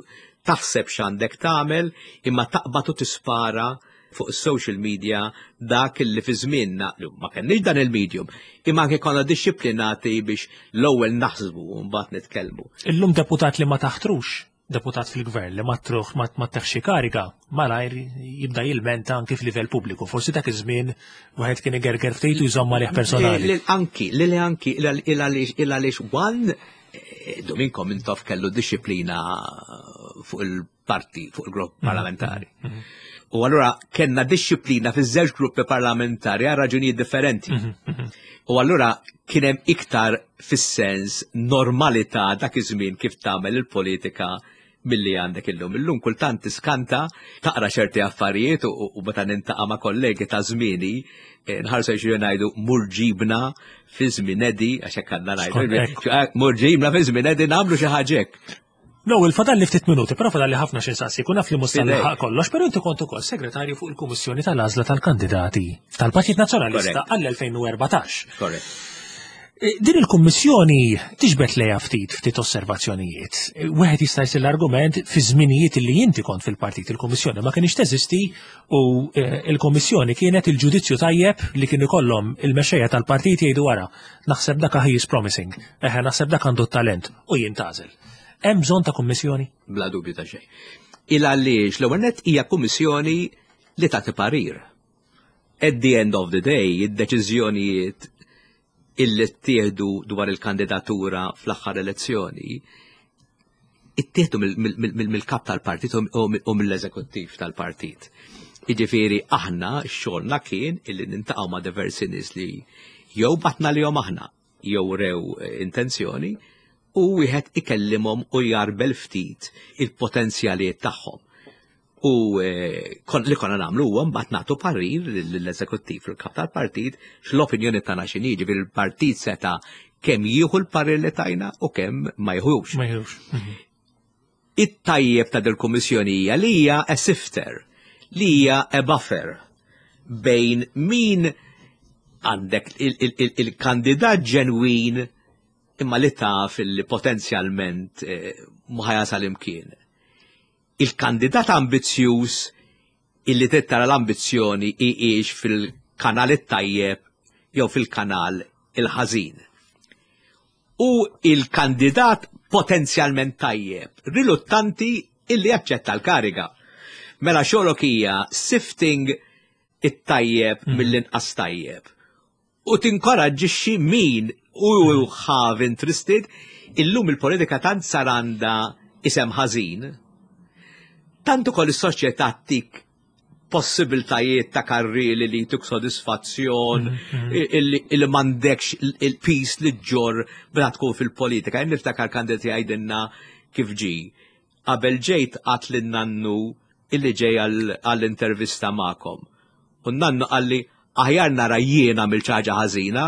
taħseb x'għandek tagħmel imma taqbad u tispara fuq social media dak li fi żmienna ma kenniex dan il-medium, imma anke konna dixxiplinati biex l-ewwel naħsbu u mbagħad nitkellmu.
Illum deputat li ma taħtrux, deputat fil-gvern li ma truħ ma teħxi kariga, malajr jibda jilmenta anki f'livell pubbliku. Forsi dak iż-żmien wieħed kien igerger ftit u jżomm għalih personali.
Anki, li anki, il għaliex one eh, Dominko Mintoff kellu disciplina fuq il parti fuq il-grupp mhm. parlamentari. Mhm. U allura kellna disċiplina fiż-żewġ gruppi parlamentari għal raġunijiet differenti. Mhm, U allura kien hemm iktar fis-sens normalità dak iż-żmien kif tagħmel il-politika milli għandek illum. Illum kultant tiskanta taqra ċerti affarijiet u meta nintaqa' ma' kollegi ta' żmieni eh, nħarsu xi ngħidu murġibna fi żmien Edi għax hekk għandna ngħidu. Eh, murġibna fi żmien Edi nagħmlu xi ħaġa hekk.
L-ewwel fadalli ftit minuti, però fadalli ħafna xi nsaqsik u naf li mhux nilħaq kollox, però inti kont ukoll segretarju fuq il-Kummissjoni tal-Għażla tal-Kandidati tal-Partit Nazzjonalista għall-2014.
Korrett.
E, din il-kummissjoni tiġbed lejha ftit ftit osservazzjonijiet. E, wieħed jista' jsir l-argument fi żminijiet li inti kont fil-partit il-kummissjoni ma kienx teżisti u e, il-kummissjoni kienet il-ġudizzju tajjeb li kien ikollhom il-mexxejja tal-partit jgħidu wara naħseb dak he is promising, eħe naħseb dak għandu talent u jintgħażel. Hemm bżonn ta' kummissjoni?
Bla dubju ta' xejn. Il għaliex l-ewwel nett hija kummissjoni li tagħti parir. At the end of the day, id-deċiżjonijiet illi ttieħdu dwar il-kandidatura fl-aħħar elezzjoni ittieħdu mill-kap tal-partit u mill-eżekuttiv tal-partit. Jiġifieri aħna xogħolna kien illi nintaqgħu ma' diversi nies li jew batna li aħna jew rew intenzjoni u wieħed ikellimhom u jarbel ftit il-potenzjalijiet tagħhom. U eh, li konna nagħmlu huwa mbagħad nagħtu parir lill-eżekuttiv il-kap tal-partit x'l-opinjoni tagħna x'inhi, ġifieri il-partit seta' kemm jieħu l-parir li tajna u kemm ma jieħux.
Ma jieħux. Mhm.
It-tajjeb ta' dil-kummissjoni hija li hija a sifter, li hija a buffer bejn min għandek il-kandidat ġenwin imma li taf li potenzjalment eh, ma ħajasal imkien. Il-kandidat ambizzjuż illi trid tara l-ambizzjoni hijiex fil-kanal it-tajjeb jew fil-kanal il-ħażin. U il-kandidat potenzjalment tajjeb, riluttanti illi jaċċetta l-kariga. Mela xogħlok hija sifting it-tajjeb mm. mill-inqas tajjeb. U tinkoraġġixxi min u have interested illum il-politika tant sar għandha isem ħażin. Tant ukoll is-soċjetà tik possibiltajiet ta' karrieli li jtuk sodisfazzjon, illi m'għandekx il-piż li ġġorr bla tkun fil-politika. Jien niftakar kandidati jgħidilna kif ġi. Qabel ġejt għedt lin-nannu illi ġej għall-intervista magħkom. U n-nannu qalli aħjar nara jien għamil xi ħaġa ħażina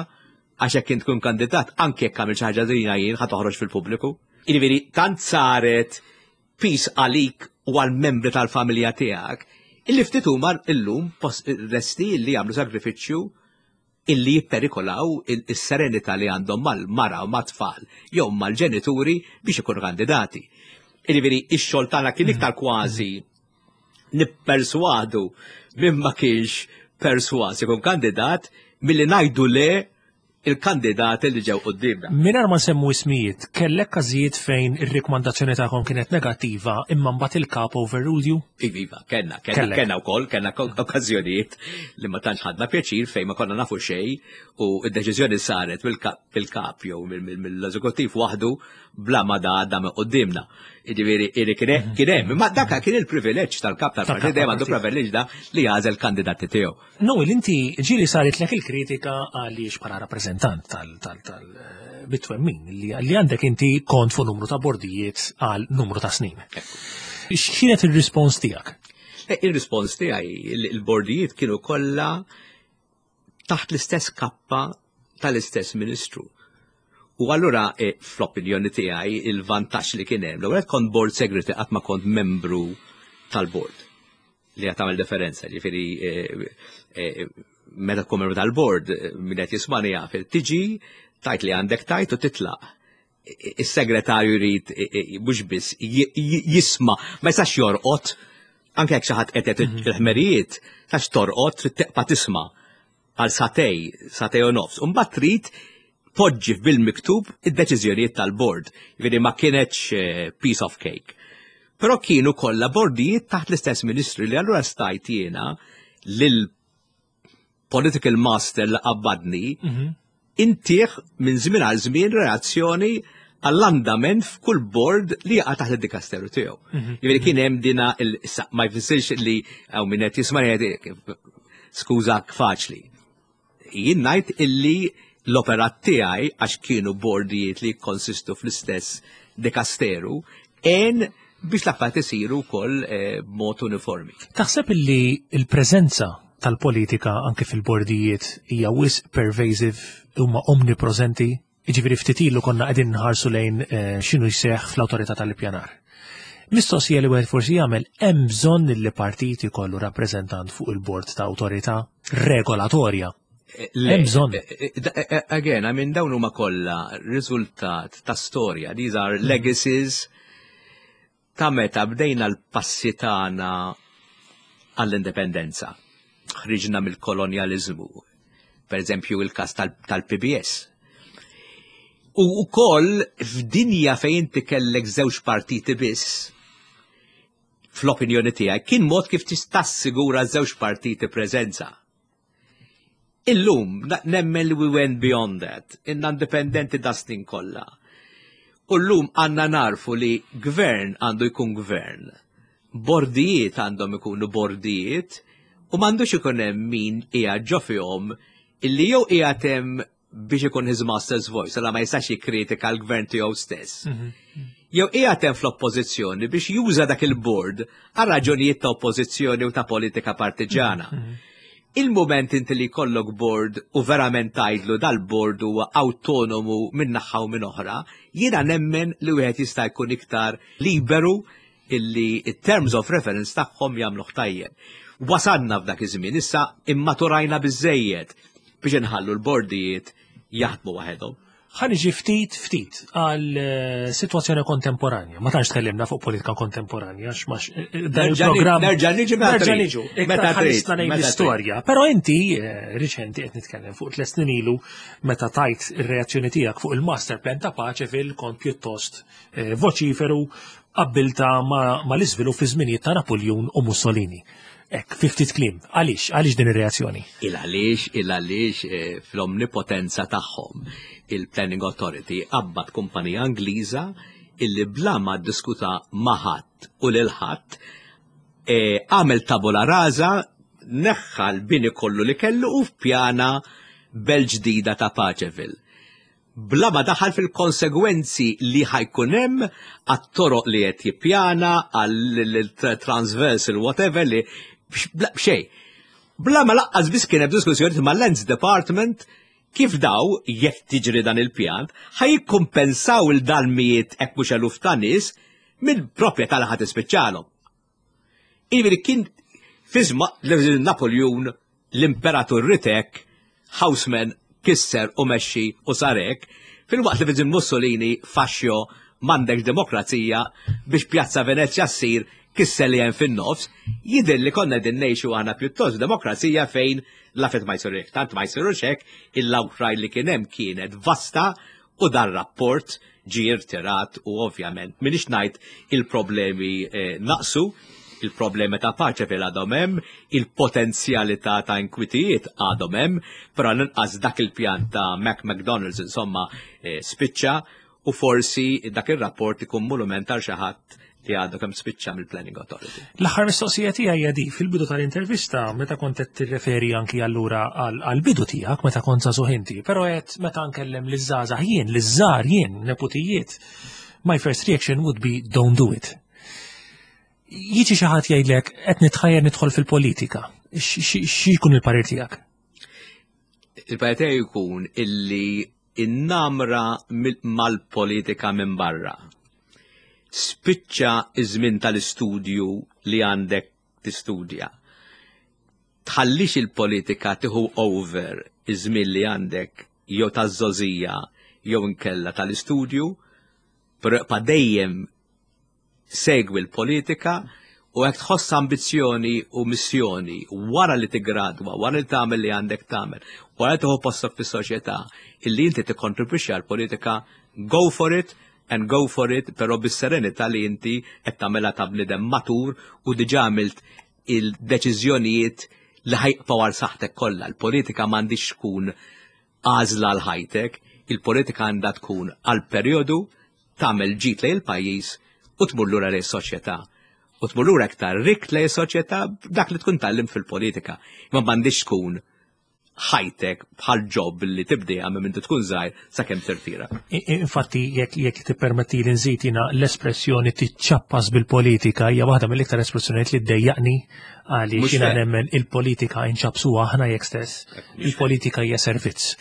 għax jekk int tkun kandidat anke jekk għamil xi ħaġa ħażina jien ħa toħroġ fil-pubbliku. Jiġifieri tant saret piż għalik u għal-membri tal-familja tiegħek illi ftit huma illum lesti illi jagħmlu sagrifiċċju illi jipperikolaw is-serenità li għandhom mal-mara u mat-tfal jew mal-ġenituri biex ikunu kandidati. Jiġifieri ix-xogħol tagħna kien iktar kważi nipperswadu minn ma kienx perswas ikun kandidat milli ngħidu le il-kandidati li ġew quddiemna.
Mingħajr ma nsemmu ismijiet, kellek każijiet fejn ir-rikmandazzjoni tagħkom kienet negattiva imma mbagħad il-kap overruled you?
Iva, iva, kellna, kellna, kellna wkoll, kellna okkażjonijiet li ma tantx ħadna pjaċir fejn ma konna nafu xejn u d-deċiżjoni saret mill-kap jew mill-eżekuttiv waħdu bla ma da għadda minn quddiemna. Jiġifieri kien mhm. hemm, imma dak kien il-privileġġ tal-kap tal-partit dejjem għandu privileġġ da li jagħżel kandidati tiegħu.
Noel, inti ġieli saritlek il-kritika għaliex bħala rappreżentant tal-bitwemmin li għandek inti kont fuq numru ta' bordijiet għal numru ta' snin. X'kienet il-rispons tiegħek?
Eh, il-rispons tiegħi il-bordijiet kienu kollha taħt l-istess kappa tal-istess ministru. U allura eh, fl-opinjoni tiegħi il-vantaġġ li kien hemm, l-ewwel kont board secretary qatt ma kont membru tal-board li qed tagħmel differenza, ġifieri eh, eh, meta tkun membru tal-board min qed jismani jaf, tiġi tajt li għandek tajt u titlaq. Is-segretarju jrid mhux biss jisma' ma jistax jorqod anke jekk xi ħadd qed mhm. il-ħmerijiet, tax torqod trid teqpa' tisma' għal satej, satej u nofs. U mbagħad trid poġġi bil-miktub id-deċiżjonijiet tal-bord. Jiġifieri ma kienetx eh, piece of cake. Però kienu kollha bordijiet taħt l-istess ministri li allura stajt jiena lil political master li qabbadni mhm. intih minn żmien għal żmien reazzjoni għall-andament f'kull board li jaqa' taħt id-dikasteru tiegħu. Mhm. Jiġifieri kien hemm dina ma jfissirx li hawn min qed jisma' skużak faċli. Jien ngħid illi l-operat tiegħi għax kienu bordijiet li jikkonsistu fl-istess dikasteru għen biex l-affarijiet isiru wkoll eh, b'mod uniformi.
Taħseb illi l-preżenza tal-politika anke fil-bordijiet hija wisq pervasive huma omnipreżenti Jiġifieri ftit ilu konna qegħdin nħarsu lejn eh, x'inhu jseħħ fl-awtorità tal-ippjanar. Mistoqsija li wieħed forsi jagħmel hemm bżonn li partit ikollu rappreżentant fuq il-bord ta' awtorità regolatorja.
Eh,
hemm bżonn.
Eh, again, I mean dawn huma kollha riżultat ta' storja, these are hmm. legacies ta' meta bdejna l-passi tagħna għall-indipendenza. Ħriġna mill-kolonjaliżmu. Per eżempju, il-każ tal-PBS. U wkoll f'dinja fejn inti kellek żewġ partiti biss, fl-opinjoni tiegħi kien mod kif tista' tassigura żewġ partiti preżenza. Illum, nemmen li we went beyond that, inna indipendenti da snin kollha. U llum għandna narfu li gvern għandu jkun gvern. Bordijiet għandhom ikunu bordijiet u m'għandux ikun hemm min qiegħed ġo fihom illi jew qiegħed hemm biex ikun his master's voice, għala ma jistax jikkritika l-gvern tiegħu stess. Mhm. Jew qiegħed hemm fl-oppożizzjoni biex juża dak il-board għal raġunijiet ta' oppożizzjoni u ta' politika partiġana. Mhm. Il-moment inti li jkollok board u verament tgħidlu dal-board huwa autonomu minn naħa u minn oħra, jiena nemmen li wieħed jista' jkun iktar liberu illi terms of reference tagħhom jagħmluh tajjeb. Wasanna f'dak iż-żmien issa immaturajna biżejjed biex inħallu l-bordijiet jaħdmu waħedhom.
Ħa niġi ftit ftit għal eh, sitwazzjoni kontemporanja. Ma tantx tkellimna fuq politika kontemporanja, x'max eh, eh, dan il-programm.
Nerġa' niġi
nerġa' niġu. Meta trid l-istorja. Però inti riċenti qed nitkellem fuq tliet snin ilu meta tajt ir-reazzjoni tiegħek fuq il-master plan ta' Paċeville kont pjuttost voċiferu qabbilta ma l-iżvilupp fi żminijiet ta' Napoleon u Mussolini. Ek, fi ftit kliem, għaliex, għaliex din ir-reazzjoni?
Il għaliex, il għaliex eh, fl-omnipotenza tagħhom il-Planning Authority qabbat kumpanija Ingliża illi bla ma ddiskuta ma' ħadd u lil ħadd. E, għamel tabula rasa, neħħa l-bini kollu li kellu u f'pjana belt ġdida ta' Paceville. Bla ma daħal fil-konsegwenzi li ħa jkun hemm għat-toroq li qed jippjana, għal-transversal whatever li b'xejn. Bla ma lanqas biss kien hemm diskussjoni ma' Lands Department kif daw, jekk tiġri dan il-pjan, ħa jikkumpensaw lil dal-mijiet jekk mhux eluf ta' nies mill-proprjetà li ħa tispiċċalhom. Jiġifieri kien fi żmien Napoleon l-imperatur ritek Haussmann kisser u mexxi u sarek, filwaqt li fi Mussolini Fascio m'għandekx demokrazija biex Pjazza Venezia ssir kisser li hemm fin-nofs, jidher li konna din ngħixu aħna pjuttost demokrazija fejn l-affarijiet ma jsirux tant ma jsirux hekk, il-outcry li kien hemm kienet vasta u dan rapport ġie irtirat u ovvjament minix ngħid il-problemi naqsu, il-problemi ta' Paceville għadhom hemm, il-potenzjalità ta' inkwitijiet għadhom hemm, però l-inqas dak il-pjan ta' Mac McDonald's insomma spiċċa u forsi dak ir-rapport ikun monument għal xi ħadd li għadu kemm spiċċa mill-Planning Authority.
L-aħħar mistoqsija tiegħi hija di fil-bidu tal-intervista meta kont qed tirreferi anki allura għall-bidu tiegħek meta kont żagħżugħ inti, però qed meta nkellem liż-żgħażagħ jien, liż-żgħar jien, neputijiet, my first reaction would be don't do it. Jiġi xi ħadd jgħidlek qed nitħajjar nidħol fil-politika. Xi jkun il-parir tiegħek?
Il-parir tiegħi jkun illi innamra mal-politika minn barra. Spiċċa iż-żmien tal-istudju li għandek tistudja. Tħallix il-politika tieħu over iż-żmien li għandek jew taż-żgħożija jew inkella tal-istudju, però ibqa' dejjem segwi l-politika u jekk tħoss ambizzjoni u missjoni wara li tigradwa, wara li tagħmel li għandek tagħmel, wara li tieħu postok fis-soċjetà, illi inti tikkontribwixxi għall-politika, go for it and go for it, però bis-serenità li inti qed tagħmilha ta' bniedem matur u diġà għamilt il-deċiżjonijiet li ħa jibqgħu għal saħħtek kollha. Il-politika m'għandix tkun għażla għal ħajtek, il-politika għandha tkun għal perjodu tagħmel ġid lejn il-pajjiż u tmur lura lejn is-soċjetà. U tmur lura iktar rik lejn is-soċjetà dak li tkun tgħallimt fil-politika. Imma m'għandix tkun ħajtek bħal job li tibdejha minn mindu tkun żgħir sakemm tirtira.
Infatti, jekk tippermetti li nżid jiena l-espressjoni tiċċappas bil-politika hija waħda mill-iktar espressjonijiet li ddejjaqni għaliex jiena nemmen il-politika inċappsuha aħna jekk stess. Il-politika hija servizz.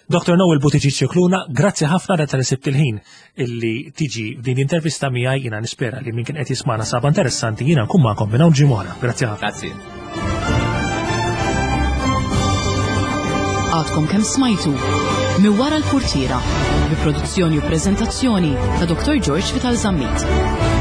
Dr. Noel Buttigieg Scicluna, grazzi ħafna da tal sibt il-ħin illi tiġi din l-intervista miegħi jiena nispera li min kien qed jismana saba interessanti jiena nkun magħkom minn hawn ġimgħa. Grazzi ħafna.
Grazzi.
Għadkom kemm smajtu minn wara l-purtiera bi produzzjoni u preżentazzjoni ta' Dr. George Vital Zammit.